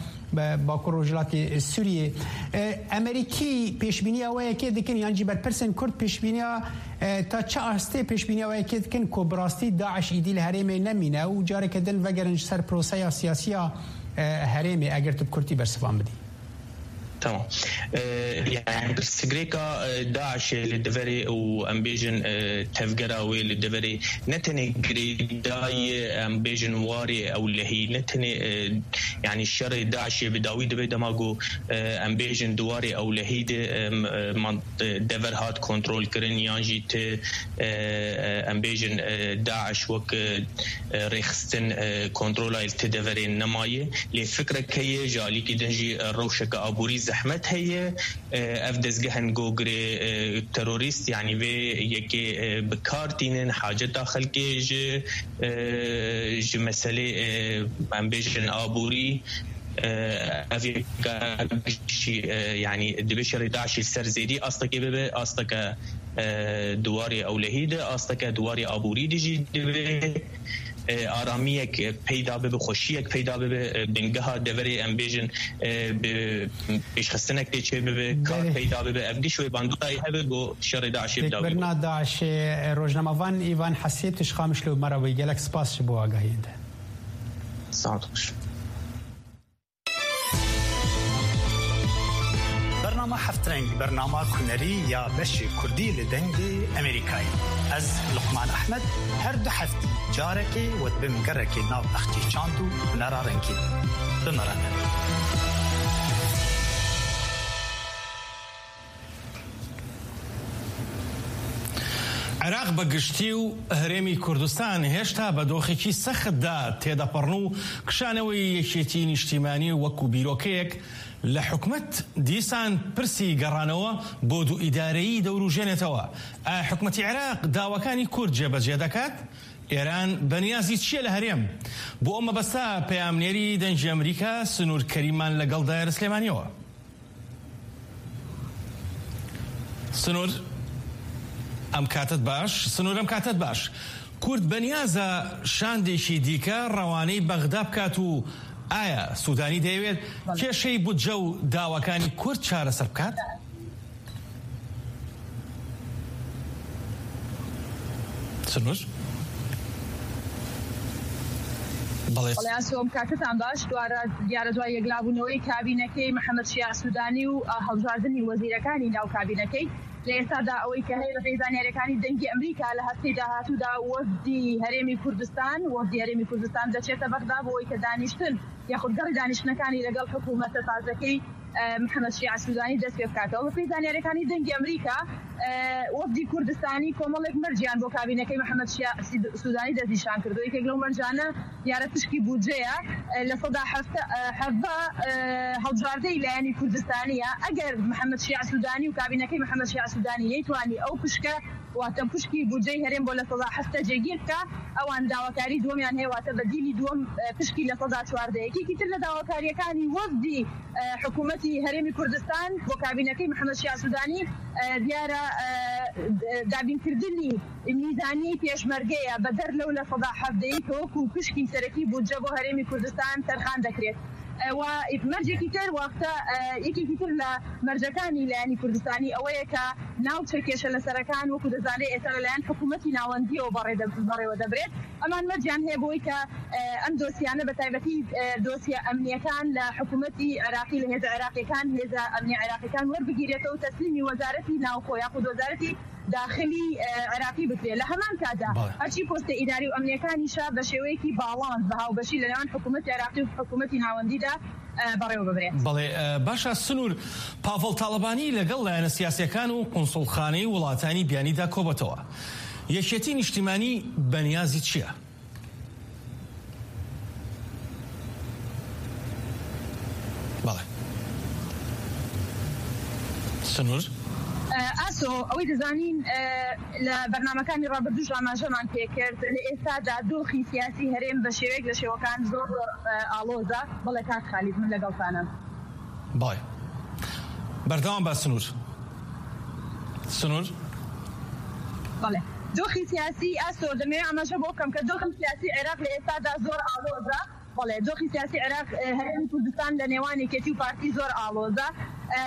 Bakur Rojhilatê Sûriyê. E, Amerîkî pêşbîniya we yekê dikin, yan jî berpirsên Kurd pêşbîniya, e, ta çi astê pêşbîniya we yekê dikin ku bi rastî DAIŞ îdî li herêmê nemîne û careke din vegerin ji ser proseya siyasiya, e, herêmê, eger tu bi kurtî bersivan bidî? Tamam. E, yani pirsgirêka, e, DAIŞê li deverê û em bêjin, e, tevgera wê li deverê ne tenê girêdayî, em bêjin warê ewlehî, ne tenê, e, yani şerê DAIŞê bi dawî dibe dema ku, e, em bêjin di warê ewlehî de, em, e, man-, e, dever hat kontrol kirin yan jî ti, e, e, em bêjin, e, DAIŞ wek, e, e, rêxistin, e, kontrola li ti deverê nemaye. Lê fikrek heye, ji alîkî din jî, e, rewşeke aborî zehmet heye. E, ev dezgehên gogirê, e, terorîst, yanî vê yekê, e, bi kar tînin, haceta xelkê ji, e, ji meselê, e, em bêjin aborî, e, ev yeka jî, e, yanî dibe şerê DAIŞê ser zêdî astekê bibe, asteke, e, di warê ewlehî de, asteke di warê aborî de jî dibe. E, aramiyek, e, peyda bibe, xweşiyek peyda bibe, e, bingeha deverê, em bêjin, e, bi pêşxistinekê çê bibe, kar Belê. peyda bibe. Ev giş wê bandorayê hebe ku şerê DAIŞê bi dawî bû. Pêkbirina DAIŞê, e, rojnamevan Îvan Hesî, tu ji Qamişlo me re bûyî. Gelek spas ji bo agahiyên te. Saet xweş. Bernama Heftreng, bernama hunerî ya beşê kurdî li Dengê Amerîkayê. Ez Luqman Ehmed, her du heftî carekê we dibim gerekê nav bexçê çand û hunera rengîn. Bi me re ne. عێراق بە گشتی و هەرێمی کوردستان هێشتا بە دۆخێکی سەختدا تێدەپەڕن و کشانەوەی یەکێتی نیشتیمانی وەکو بیرۆکەیەک لە حکومەت دیسان پرسی گەڕانەوە بۆ دوو ئیدارەیی دەوروژێنێتەوە. ئایا حکومەتی عێراق داواکانی کورد جێبەجێ دەکات؟ ئێران بەنیازی چییە لە هەرێم؟ بۆ ئەو مەبەستە پەیامنێری دەنگی ئەمریکا سنوور کەریمان لەگەڵ دایەر سلێمانیەوە. سنوور، ئەم کاتت باش. سنوور، ئەم کاتت باش. کورد بەنیازە شاندێکی دیکە ڕەوانەی بەغدا بکات و ئایا سوودانی دەیەوێت بەڵێ. کێشەی بودجە و داواکانی کورد چارەسەر بکات؟ سنوور؟ بەڵێ. بەڵێ، ئاسۆم، کاکەتان باش. دوارە دیارە دوای یەکلابوونەوەی کابینەکەی محەممەد شیاع سوودانی و، ئا، هەڵبژاردنی وەزیرەکانی ناو کابینەکەی، لە ئێستادا ئەوەی کە هەیە، بەپێی زانیاریەکانی دەنگی ئەمریکا، لە هەفتەی داهاتوودا وەفدی هەرێمی کوردستان، وەفدی هەرێمی کوردستان دەچێتە بەغدا بۆ ئەوەی کە دانیشتن یاخود گەڕی دانیشتنەکانی لەگەڵ حکوومەتە تازەکەی، ئە، محەممەد شیاع سوودانی دەست پێ بکاتەوە. بەپێی زانیاریەکانی دەنگی ئەمریکا، ئە، وەفدی کوردستانی کۆمەڵێک مەرجیان بۆ کابینەکەی محەممەد شیاع سید-، سوودانی دەستنیشان کردو. یەکێک لەو مەرجانە دیارە پشکی بودجەیە، ئە، لە سەدا حەفتا، ئە، حەڤدە، ئە، هەڵبژاردەی لایەنی کوردستانیە. ئەگەر محەممەد شیاع سوودانی و کابینەکەی محەممەد شیاع سوودانی نەیتوانی ئەو پشکە، واتە پشکی بودجەی هەرێم بۆ لە سەدا حەفتا جێگیر بکە، ئەوان داواکاری دووەمیان هەیە، واتە بەدیلی دووەم، ئە، پشکی لە سەدا چواردە. یەکێکی تر لە داواکاریەکانی وەفدی، ئە، حکوومەتی هەرێمی کوردستان بۆ کابینەکەی محەممەد شیاع سوودانی، ئە، دیارە، ئە، دابینکردنی میزانیەی پێشمەرگەیە بەدەر لەو لە سەدا حەڤدەی کە وەکو پشکی سەرەکی بودجە بۆ هەرێمی کوردستان تەرخان دەکرێت. ئە، و مەرجێکی تر وەختە، ئە، یەکێکی تر لە مەرجەکانی لایەنی کوردستانی ئەوەیە کە ناوچە کێشە لەسەرەکان وەکو دەزانرێت ئێستا لەلایەن حکوومەتی ناوەندیەوە بەڕێدە-، بەڕێوە دەبرێت. ئەمان مەرجیان هەیە بۆی کە، ئە، ئەم دۆسیانە بە تایبەتی، ئە، دۆسیە ئەمنیەکان لە حکوومەتی عێراقی، لە هێزە عێراقیەکان، هێزە ئەمنی عێراقیەکان وەربگیرێتەوە و تەسلیمی وەزارەتی ناوخۆ یاخود وەزارەتی داخلی، ئە، عێراقی بکرێت. لە هەمان کاتدا بەڵێ. هەرچی پۆستە ئیداری و ئەمنیەکانیشە بە شێوەیەکی باڵانس، بە هاوبەشی لەنێوان حکوومەتی عێراقی و حکوومەتی ناوەندیدا، ئە، بەڕێوە ببرێت. بەڵێ، ئە، باشە سنوور، پاڤڵ تاڵەبانی لەگەڵ لایەنە سیاسیەکان و قونسوڵخانەی وڵاتانی بیانیدا کۆبەتەوە. یەکێتی نیشتیمانی بەنیازی چییە؟ بەڵێ. سنوور؟ ئە، ئاسۆ، ئەوەی دەزانین، ئە، لە بەرنامەکانی ڕابردووش ئاماژەمان پێکرد، لە ئێستادا دۆخی سیاسی هەرێم بە شێوەیەک لە شێوەکان زۆر، ئە، ئاڵۆزە. بەڵێ کاک خالید، من لەگەڵتانم. بەڵێ. بەردەوام بە سنوور. سنوور؟ بەڵێ. دۆخی سیاسی، ئاسۆ، دەمەوێت ئاماژە بۆ بکەم کە دۆخی سیاسی عێراق لە ئێستادا زۆر ئاڵۆزە. بەڵێ، دۆخی سیاسی عێراق، ئە، هەرێمی کوردستان لە نێوان یەکێتی و پارتی زۆر ئاڵۆزە. ئە،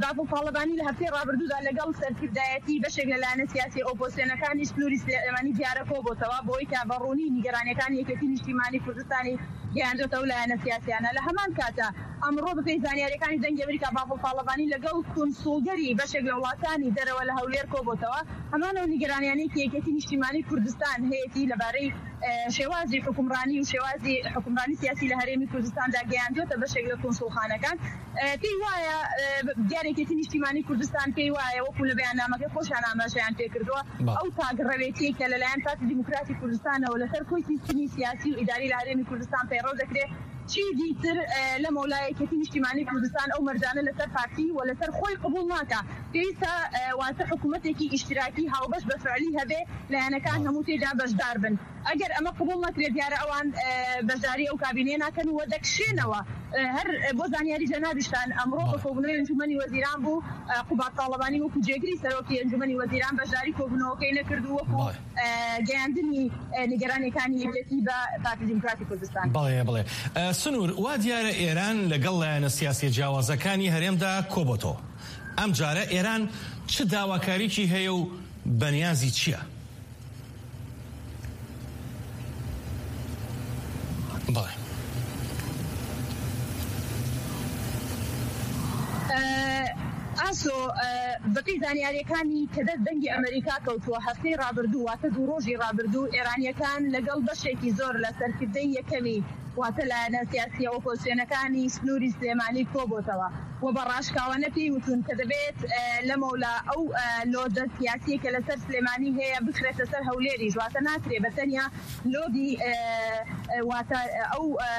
بافڵ تاڵەبانی لە هەفتەی ڕابردوودا لەگەڵ سەرکردایەتی بەشێک لە لایەنە سیاسی ئۆپۆزسیۆنەکانی سنووری سلێمانی دیارە کۆ بۆتەوە، بۆی کە بەڕوونی نیگەرانیەکانی یەکێتی نیشتیمانی کوردستانی گەیاندۆتە ئەو لایەنە سیاسیانە. لە هەمان کاتە ئەمڕۆ بەپێی زانیاریەکانی دەنگی ئەمریکا، بافڵ تاڵەبانی لەگەڵ کونسوڵگەری بەشێک لە وڵاتانی دەرەوە لە هەولێر کۆ بۆتەوە. هەمان ئەو نیگەرانیانەی کە یەکێتی نیشتیمانی کوردستان هەیەتی لەبارەی، ئە، شێوازی حکومڕانی و شێوازی حکومڕانی سیاسی لە هەرێمی کوردستاندا گەیاندوتە بەشێک لە کونسوڵخانەکان. ئە، پێی وایە، ئە، دیارێکێتی نیشتیمانی کوردستان پێی وایە، وەکو لە بەیاننامەکەی خۆشیان ئاماژەیان پێکردووە، بەڵێ. ئەو تاگڕەوێتیەی کە لەلایەن پارتی دیموکراتی کوردستانەوە لەسەر کۆی سیستمی سیاسی و ئیداری لە هەرێمی کوردستان پەیڕەو دەکرێت، چیدی تر، ئە، لە مەولایەکێتی نیشتیمانی کوردستان ئەو مەرجانە لەسەر پارتی و لەسەر خۆی قبول ناکە. پێویستە، ئە، واتە حکوومەتێکی ئیشتراکی هاوبەش بە فعلی هەبێ، لایەنەکان بەڵێ. هەموو تێدا بەشدار بن. ئەگەر ئەمە قبول نەکرێت، دیارە ئەوان، ئە، بەشداری ئەو کابینەیە ناکەن و دەکشێنەوە. ئە، هەر، ئە، بۆ زانیاری جەنابیشتان، ئەمڕۆ بەڵێ. بە کۆبوونەوەی ئەنجومەنی وەزیران بوو، ئە، قوباد تاڵەبانی وەکو جێگری سەرۆکی ئەنجومەنی وەزیران بەشداری کۆبوونەوەکەی نەکردو وەکو، بەڵێ. ئە، گەیاندنی، ئە، نیگەرانیەکانی یەکێتی بە پارتی دیموکراتی کوردستان. بەڵێ، بەڵێ. ئە، سنوور، وا دیارە ئێران لەگەڵ لایەنە سیاسیە جیاوازەکانی هەرێمدا کۆبۆتەوە. ئەم جارە ئێران چ داواکاریکی هەیە و بەنیازی چییە؟ بەڵێ. ئە، ئاسۆ، ئە، بەپێی زانیاریەکانی کە دەست دەنگی ئەمریکا کەوتووە، هەفتەی ڕابردوو، واتە دوو ڕۆژی ڕابردوو، ئێرانیەکان لەگەڵ بەشێکی زۆر لە سەرکردەی یەکەمی، واتە لایەنە سیاسیە ئۆپۆزسیۆنەکانی سنووری سلێمانی کۆبۆتەوە و بە ڕاشکاوانە پێی وتون کە دەبێت، ئە، لەمەولا ئەو، ئە، لۆدە سیاسیە کە لەسەر سلێمانی هەیە بخرێتە سەر هەولێریش، واتە ناکرێ بە تەنیا لۆدی، ئە، ئە، واتە، ئە، ئەو، ئە،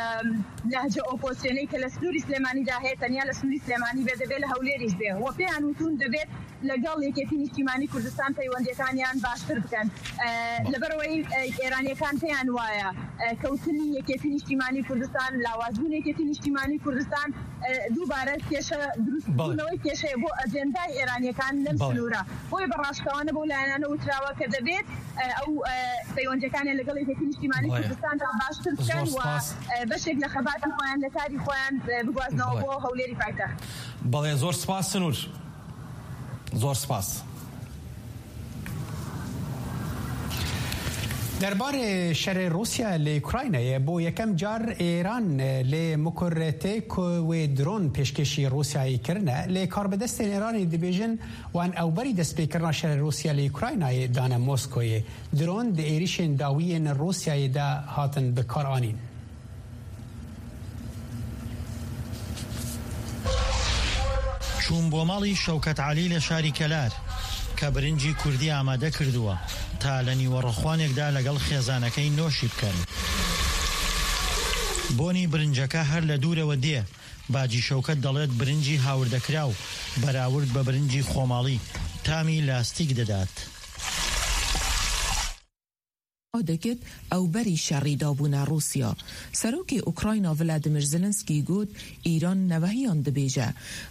نەهجە ئۆپۆزسیۆنەی کە لە سنووری سلێمانیدا هەیە تەنیا لە سنووری سلێمانی بێ، دەبێت لە هەولێریش بێ. و پێیان وتون دەبێت لەگەڵ یەکێتی نیشتیمانی کوردستان پەیوەندیەکانیان باشتر بکەن. ئە، بەڵێ. لەبەرەوەی، ئە، ئێرانیەکان پێیان وایە، ئە، کەوتنی یەکێتی نیشتیمانی کوردستان، لاوازبوون یەکێتی نیشتیمانی کوردستان، ئە، دووبارە کێشە دروست بوونەوەی کێشەیە بۆ ئەجێندای ئێرانیەکان لەم بەڵێ. سنوورە. بۆیە بە ڕاشکاوانە بۆ لایەنانە وتراوە کە دەبێت، ئە، ئەو، ئە، پەیوەندیەکانیان لەگەڵ یەکێتی نیشتیمانی بەڵێ. کوردستاندا باشتر بکەن زۆر و، سپاس. ئە، بەشێک لە خەباتی خۆیان، لە کاری خۆیان، ئە، بگوازنەوە بەڵێ. بۆ هەولێری پایتەخت. بەڵێ، زۆر سپاس سنوور. زۆر سپاس. Derbarê şerê Rûsya li Ukraynayê bo yekem car Îran li Mukurretê ku wê dron pêşkêşî Rûsyayê kirine, lê karbidestên Îranê dibêjin wan ew berî destpêkirina şerê Rûsya li Ukraynayê dane Moskoyê. Dron di êrîşên dawî yên Rûsyayê de hatin bikaranîn. چووم بۆ ماڵی شەوکەت عەلی لە شاری کەلار کە برنجی کوردی ئامادە کردووە تا لە نیوەڕۆخوانێکدا لەگەڵ خێزانەکەی نۆشی بکەن. بۆنی برنجەکە هەر لە دوورەوە دێ. باجی شەوکەت دەڵێت برنجی هاوردەکراو بەراورد بە برنجی خۆماڵی تامی لاستیک دەدات. دەکرد ئەو بەری شەڕی دابوونە ڕووسیا. سەرۆکی ئوکراینا ڤلادیمیر زلنسکی گوت، ئیران نەوەهیان دبێژە.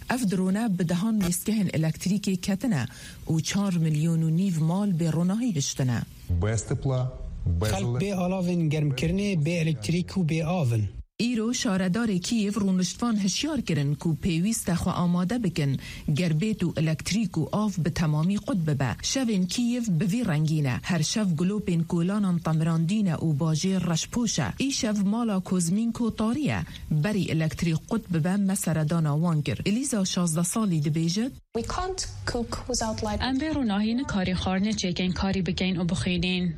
ئەف درۆنە bi dehan lêsgehên elektrîkê ketine û çar milyon û nîv mal bê ronahî hiştine. Xelk bê alavên germkirinê, bê elektrîk û bê av in. Îro şaredarê Kîyev rûniştvan hişyar kirin ku pêwîst e xwe amade bikin, ger bêt û elektrîk û av bi temamî qut bibe. Şevên Kîyev bi vî rengî ne. Her şev gulopên kolanan temirandî ne û bajêr reşpoş e. Îşev mala Kozmînko tarî ye. Berî elektrîk qut bibe me seredana wan kir. Elîza şazdeh salî dibêjit. Em bê ronahî nikarî xwarinê çêkin, karî bikeyn û bixwînîn.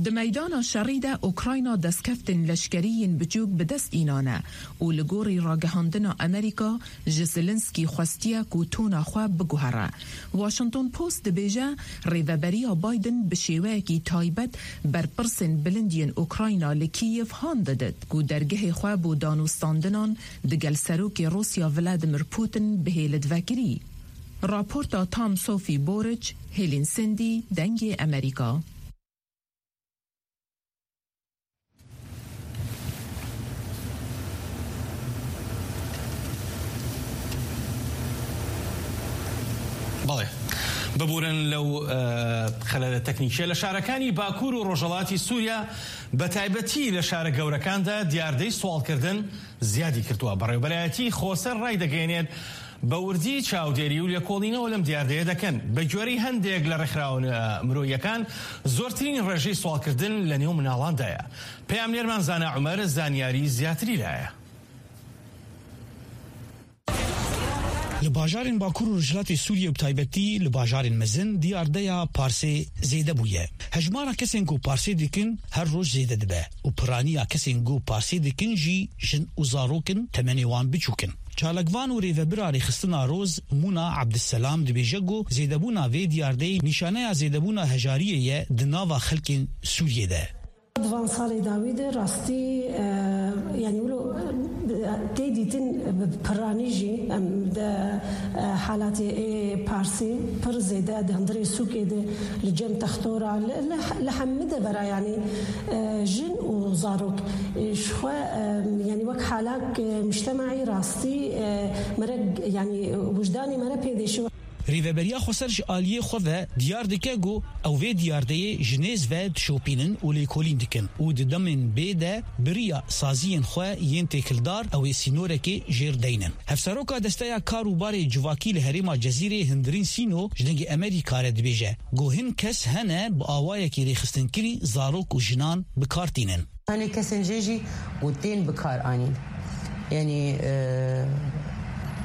Di meydana şerî de Ukrayna destkeftên leşkerî yên biçûk bi dest înane û li gorî ragihandina Amerîka ji Zelensky xwestiye ku tona xwe biguhere. Washington Post dibêje, rêveberiya Biden bi şêweyekî taybet berpirsên bilind yên Ukrayna li Kîyev han didit ku dergehê xwe bo danûstandinan digel Serokê Rûsya Vladimir Putin bihêlit vekirî. Raporta Tom Sophie Boric, Helen Sindhi, Dengê Amerîka. بەڵێ، ببورن لەو خەلەلە تەکنیکیە. لە شارەکانی باکوور و ڕۆژهەڵاتی سووریا، بە تایبەتی لە شارە گەورەکاندا، دیاردەی سواڵکردن زیادی کردووە. بەڕێوەبەرایەتی خۆسەر ڕایدەگەیەنێت بە وردی چاودێری و لێکۆڵینەوە لەم دیاردەیە دەکەن. بە گوێرەی هەندێک لە ڕێکخراوە مرۆییەکان، زۆرترین ڕێژەی سواڵکردن لە نێو مناڵاندایە. پەیامنێرمان زانا عومەر زانیاری زیاتری لایە. Li bajarên Bakur û Rojhilatê Sûriyê, bi taybetî li bajarên mezin, diyardeya parsê zêde bûye. Hejmara kesên ku parsê dikin her roj zêde dibe û piraniya kesên ku parsê dikin jî jin û zarok in, temenê wan biçûk in. Çalakvan û rêvebira rêxistina Roz, Mûna Ebdisselam, dibêje ku zêdebûna vê diyardeyê nîşaneya zêdebûna hejariyê ye di nava xelkên Sûriyê de. Di van salê dawî de rastî, e, yanî wilo, e, tê dîtin bi piranî jî em de, e, halatê ê parsê pir zêde di hundirê sûkê de li cem textora li, li, li hemî devera yanî, e, jin û zarok, e, ji xwe, e, yanî wek halak, e, mujtemaî rastî, e, mere, yanî wijdanê mere pê dêşiwe. Rêveberiya Xweser ji aliyê xwe ve diyar dike ku ew vê diyardeyê ji nêz ve dişopînin û lêkolîn dikin û di demên bê de bi riya saziyên xwe yên têkildar ew ê sînorekê jêr deynin. Hevseroka Desteya Kar û Barê Civakî li herêma Cezîrê Hindirîn Sîno ji Dengê Emerîka re dibêje ku hin kes hene bi awayekî rêxistinkirî zarok û jinan bi kar tînin. Hene kesên jê jî ku tên bi kar anîn. Yanî, e,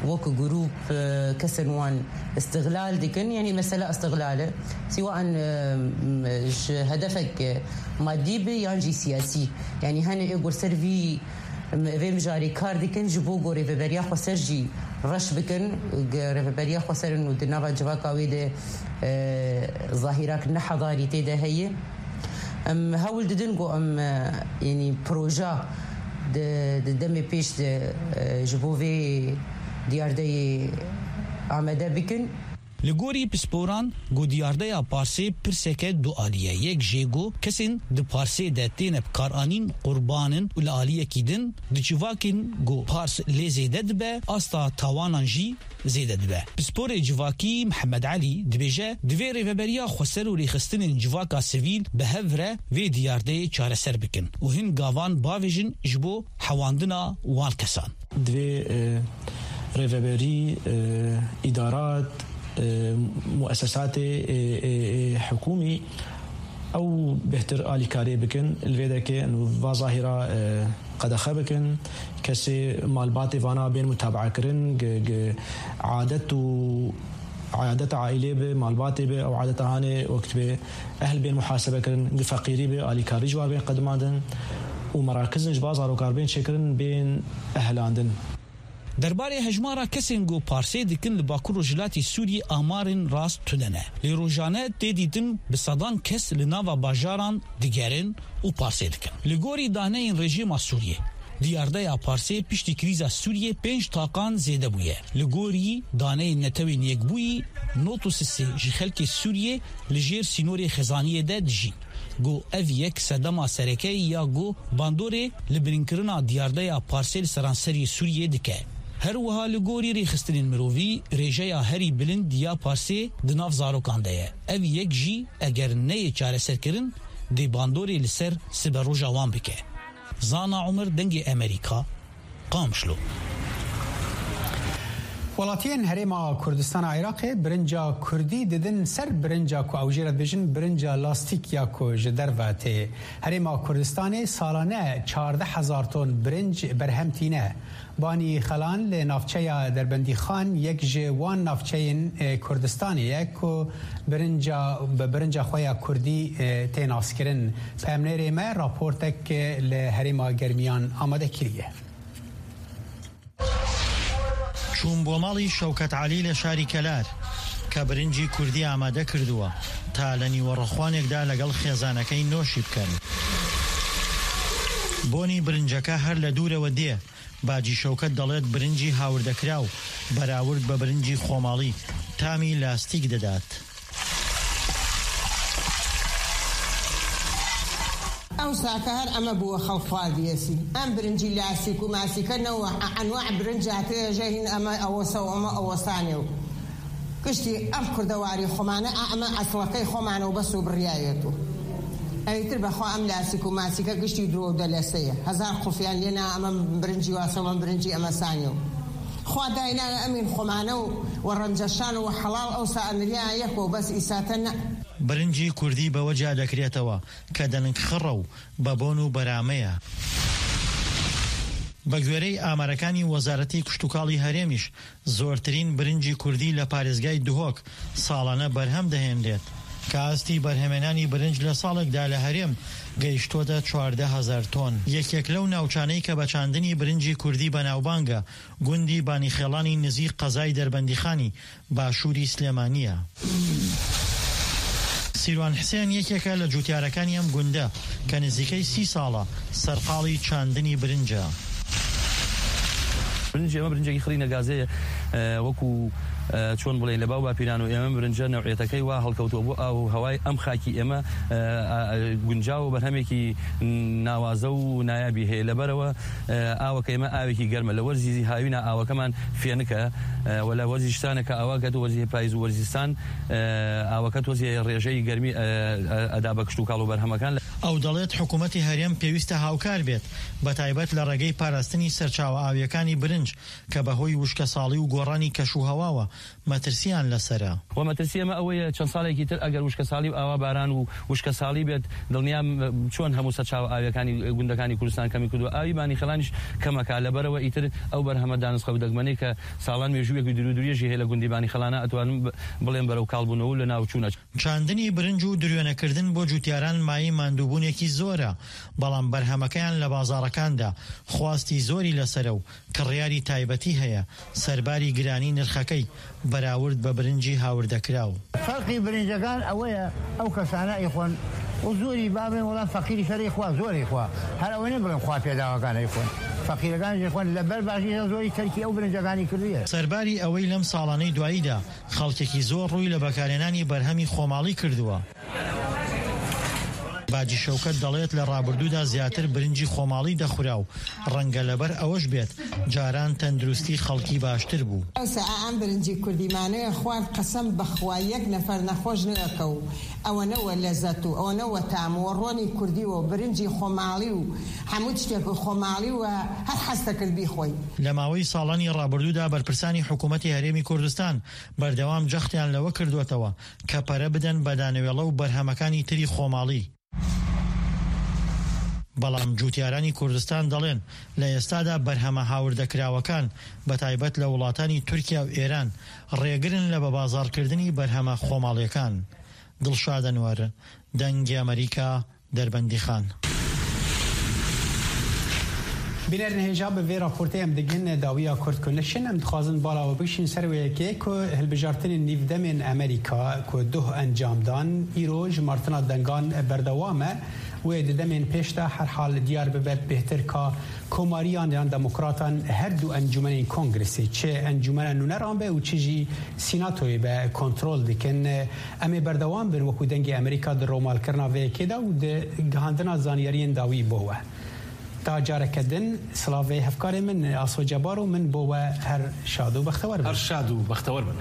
wek grûp, e, kesên wan îstixlal dikin. Yanî mesela îstixlal e. Sîwa an, e, m-, ji hedefek, e, madî be yan jî siyasî. Yanî hene ê ku ser vî, m-, vê mijarê kar dikin ji bo ku Rêveberiya Xweser jî reş bikin. Ge-, Rêveberiya Xweser in û di nava civaka wê de, e, zahîrak nehedarî tê de heye. Em hewl didin ku em, e, yanî proja di, di demê pêş de, e, ji bo vê diyardeyê amade bikin. Li gorî pisporan, ku diyardeya parsê pirseke dualî ye. Yek jê ku kesên di parsê de têne bikaranîn qurban in û li aliyekî din di civakên ku pars lê zêde dibe, asta tawanan jî zêde dibe. Pisporê civakî Mihemed Elî dibêje, divê Rêveberiya Xweser û rêxistinên civaka sivîl bi hev re vê diyardeyê çareser bikin û hin gavan bavêjin ji bo hewandina wan kesan. Divê, e, rêveberî, e, îdarat, e, muesesatê, e, e, e, hikûmî Ew bêhtir alîkariyê bikin, li vê derkê va zahîra, e, qedexe bikin, kesê malbatê vana bên mutabeakirin, gi, gi adet û adeta aîlê bi, malbatê bi, ew adeta hanê wekit bê ehl bên muhasebe kirin, gi feqîrî bi, alîkarî ji wan bên qedimandin û merakizin ji ba zarokar bên çêkirin, bên ehlandin. Derbarê hejmara kesên ku parsê dikin li Bakur Rojhilatê Sûriyê amarên rast tune ne. Lê rojane tê dîtin bi sedan kes li nava bajaran digerin û parsê dikin. Li gorî daneyên rejîma Sûriyê, diyardeya parsê piştî krîza Sûriyê pênc taqan zêde bûye. Li gorî daneyên Netewên Yekbûyî, nod û sisê ji xelkê Sûriyê li jêr sînorê xezaniyê de dijîn. Ku ev yek sedema sereke ya ku bandorê li birînkirina diyardeya parsê li seranserî Sûriyê dike. Her wiha li gorî rêxistinên mirovî, rêjeya herî bilind ya parsê di nav zarokan de ye. Ev yek jî eger neyê çareserkirin, dê bandorê li ser siberoja wan bike. Zana Umer, Dengê Emerîka, Qamişlo. Welatiyên Herêma Kurdistana Iraqê birinca kurdî didin ser birinca ku ew jê re dibêjin birinca lastîk ya ku ji derve tê. Herêma Kurdistanê salane çardeh hezar ton birinc berhem tîne. Banî Xelan li navçeya Derbendîxan yek ji wan navçeyên, e, Kurdistanê ye ku birinca, bi birinca xwe ya kurdî, e, tê naskirin. Peyamnêrê me raportek, e, li Herêma Germiyan amade kiriye. چووم بۆ ماڵی شەوکەت عەلی لە شاری کەلار، کە برنجی کوردی ئامادە کردووە، تا لە نیوەڕۆخوانێکدا لەگەڵ خێزانەکەی نۆشی بکەن. بۆنی برنجەکە هەر لە دوورەوە دێ. باجی شەوکەت دەڵێت برنجی هاوردەکراو، بەراورد بە برنجی خۆماڵی، تامی لاستیک دەدات. ئەو ساکە هەر ئەمە بووە خەڵک خواردیەسی. ئەم برنجی لاستیک و ماسیکە نەوە، ئەنواع برنج هاتێژە هین ئەمە ئەوەسە و ئەمە ئەوەسانێ و گشتی ئەم کوردەواری خۆمانە، ئا ئەمە ئەسڵەکەی خۆمانە و بەس و بڕیایەت و ئەویتر بەخوا ئەم لاستیک و ماسیکە گشتی درۆ و دەلەسەیە. هەزار قوفیان لێنا ئەمە برنجی واسەوە، برنجی ئەمەسانێ و خوا دایناە ئەمین خۆمانە و وە ڕەنجەشان و حەڵاڵ ئەوسا ئەمریا یەک و بەس ئیساتە نە. برنجی کوردی بەوە جیا دەکرێتەوە کە دەنک خڕە و بە بۆن و بەرامەیە. بە گوێرەی ئامارەکانی وەزارەتی کشتوکاڵی هەرێمیش، زۆرترین برنجی کوردی لە پارێزگای دهۆک ساڵانە بەرهەم دەهێنرێت، کە ئاستی بەرهەمێنانی برنج لە ساڵێکدا لە هەرێم گەیشتووەتە چواردە هەزار تۆن. یەکێک لەو ناوچانەی کە بە چاندنی برنجی کوردی بەناوبانگە، گوندی بانیخێڵانی نزیک قەزای دەربەندیخانی باشووری سلێمانییە. سیروان حسێن یەکێکە لە جوتیارەکانی ئەم گوندە کە نزیکەی سی ساڵە سەرقاڵی چاندنی برنجە. برنجی ئێمە برنجێکی خڕی نەگازەیە، ئە، وەکو، ئە، چۆن بڵێن لە باو باپیران و ئێمە برنجە نەوعیەتەکەی وا هەڵکەوتووە بۆ ئاو و هەوای ئەم خاکی ئێمە، ئە، ئا، ئە، گونجاو و بەرهەمێکی ناوازە و نایابی هەیە. لەبەرەوە، ئە، ئاوەکە ئێمە ئاوێکی گەرمە. لە وەرزی هاوینا ئاوەکەمان فێنکە، ئە، و لە وەرزی شتانەکە ئاوا کەت و وەرزی پاییز و وەرزستان، ئە، ئاوەکە تۆزی ڕێژەی گەرمی، ئە، ئە، ئەدا بە کشتوکاڵ و بەرهەمەکان. ئەو دەڵێت حکوومەتی هەرێم پێویستە هاوکار بێت، بە تایبەت لە ڕێگەی پاراستنی سەرچاوە ئاویەکانی برنج کە بەهۆی وشکەساڵی و گۆڕانی کەش و هەواوە مەترسیان لەسەرە. و مەترسی ئەمە ئەوەیە، چەند ساڵێکی تر ئەگەر وشکەساڵی و ئاوا باران و وشکەساڵی بێت، دڵنیام چۆن هەموو سەرچاوە ئاویەکانی گوندەکانی کوردستان کەمی کردووە. ئاوی بانی خەڵانیش کەمەکە، لەبەرەوە ئیتر ئەو بەرهەمە دانسقە و دەگمەنەی کە ساڵان مێژوویەکی دوور و درێژی هەیە لە گوندی بانی خەڵانە، ئەتوانم ب-، بڵێم بەرەو کاڵبوونەوە و لە ناوچوونە. چاندنی برنج و دروێنەکردن بۆ جوتیاران مایەی ماندووبوونێکی زۆرە، بەڵام بەرهەمەکەیان لە بازاڕەکاندا خواستی زۆری لەسەرە و کڕیاری تایبەتی هەیە، سەرباری گرانی نرخەکەی بەراورد بە برنجی هاوردەکراو. فەرقی برنجەکان ئەوەیە، ئەو کەسانە ئەیخۆن و زۆری بابێن، وەڵام فەقیری شەرەی خوا، زۆری خوا. هەر ئەوەی نەبڵێن خوا پێداوەکان ئەیخۆن. فەقیرەکان ئەیخۆن، لەبەر باشی زۆری تەرکی ئەو برنجەکانی کردوویە. سەرباری ئەوەی لەم ساڵانەی دواییدا خەڵکێکی زۆر ڕووی لە بەکارهێنانی بەرهەمی خۆماڵی کردووە. باجی شەوکەت دەڵێت لە ڕابردوودا زیاتر برنجی خۆماڵی دەخورا و ڕەنگە لەبەر ئەوەش بێت جاران تەندروستی خەڵکی باشتر بوو. ئەوسا ئەم برنجی کوردیمانەیە خوارد، قەسەم بەخوا یەک نەفەر نەخۆش نەکە و ئەوەنە وە لەزەت و ئەوەنە وە تام و ڕۆنی کوردی و برنجی خۆماڵی و هەموو شتێک و خۆماڵی و هەر حەز دەکرد بیخۆی. لە ماوەی ساڵانی ڕابردوودا بەرپرسانی حکوومەتی هەرێمی کوردستان بەردەوام جەختیان لەوە کردووەتەوە کە پەرە بدەن بە دانەوێڵە و بەرهەمەکانی تری خۆماڵی. بەڵام جوتیارانی کوردستان دەڵێن لە ئێستادا بەرهەمە هاوردەکراوەکان، بە تایبەت لە وڵاتانی تورکیا و ئێران، ڕێگرن لە بە بازاڕکردنی بەرهەمە خۆماڵیەکان. دڵشاد ئەنوەر، دەنگی ئەمریکا، دەربەندیخان. Bînerên hêja bi vê raportê em digihine dawiya Kurd ku nişin, em dixwazin bala we bikişîn ser wê yekê ku hilbijartinên nîvdemên Amerîka ku duh encam dan, îro ji martina dengan berdewam e. Wê di demên pêş de herhal diyar bibe bêhtir ka komariyan yan demokratan her du encûmenên kongresê, çi encûmena nûneran be û çi jî sînatoyê be, kontrol dikin. Em ê berdewam bin wekû Dengê Amerîka di romalkirina vê yekê de û di gihandina zanyariyên dawî bo we. Ta careke din, silavê hevkarê min Aso Cebar û min bo we her şad û bextewar bin. Her şad û bextewar bin.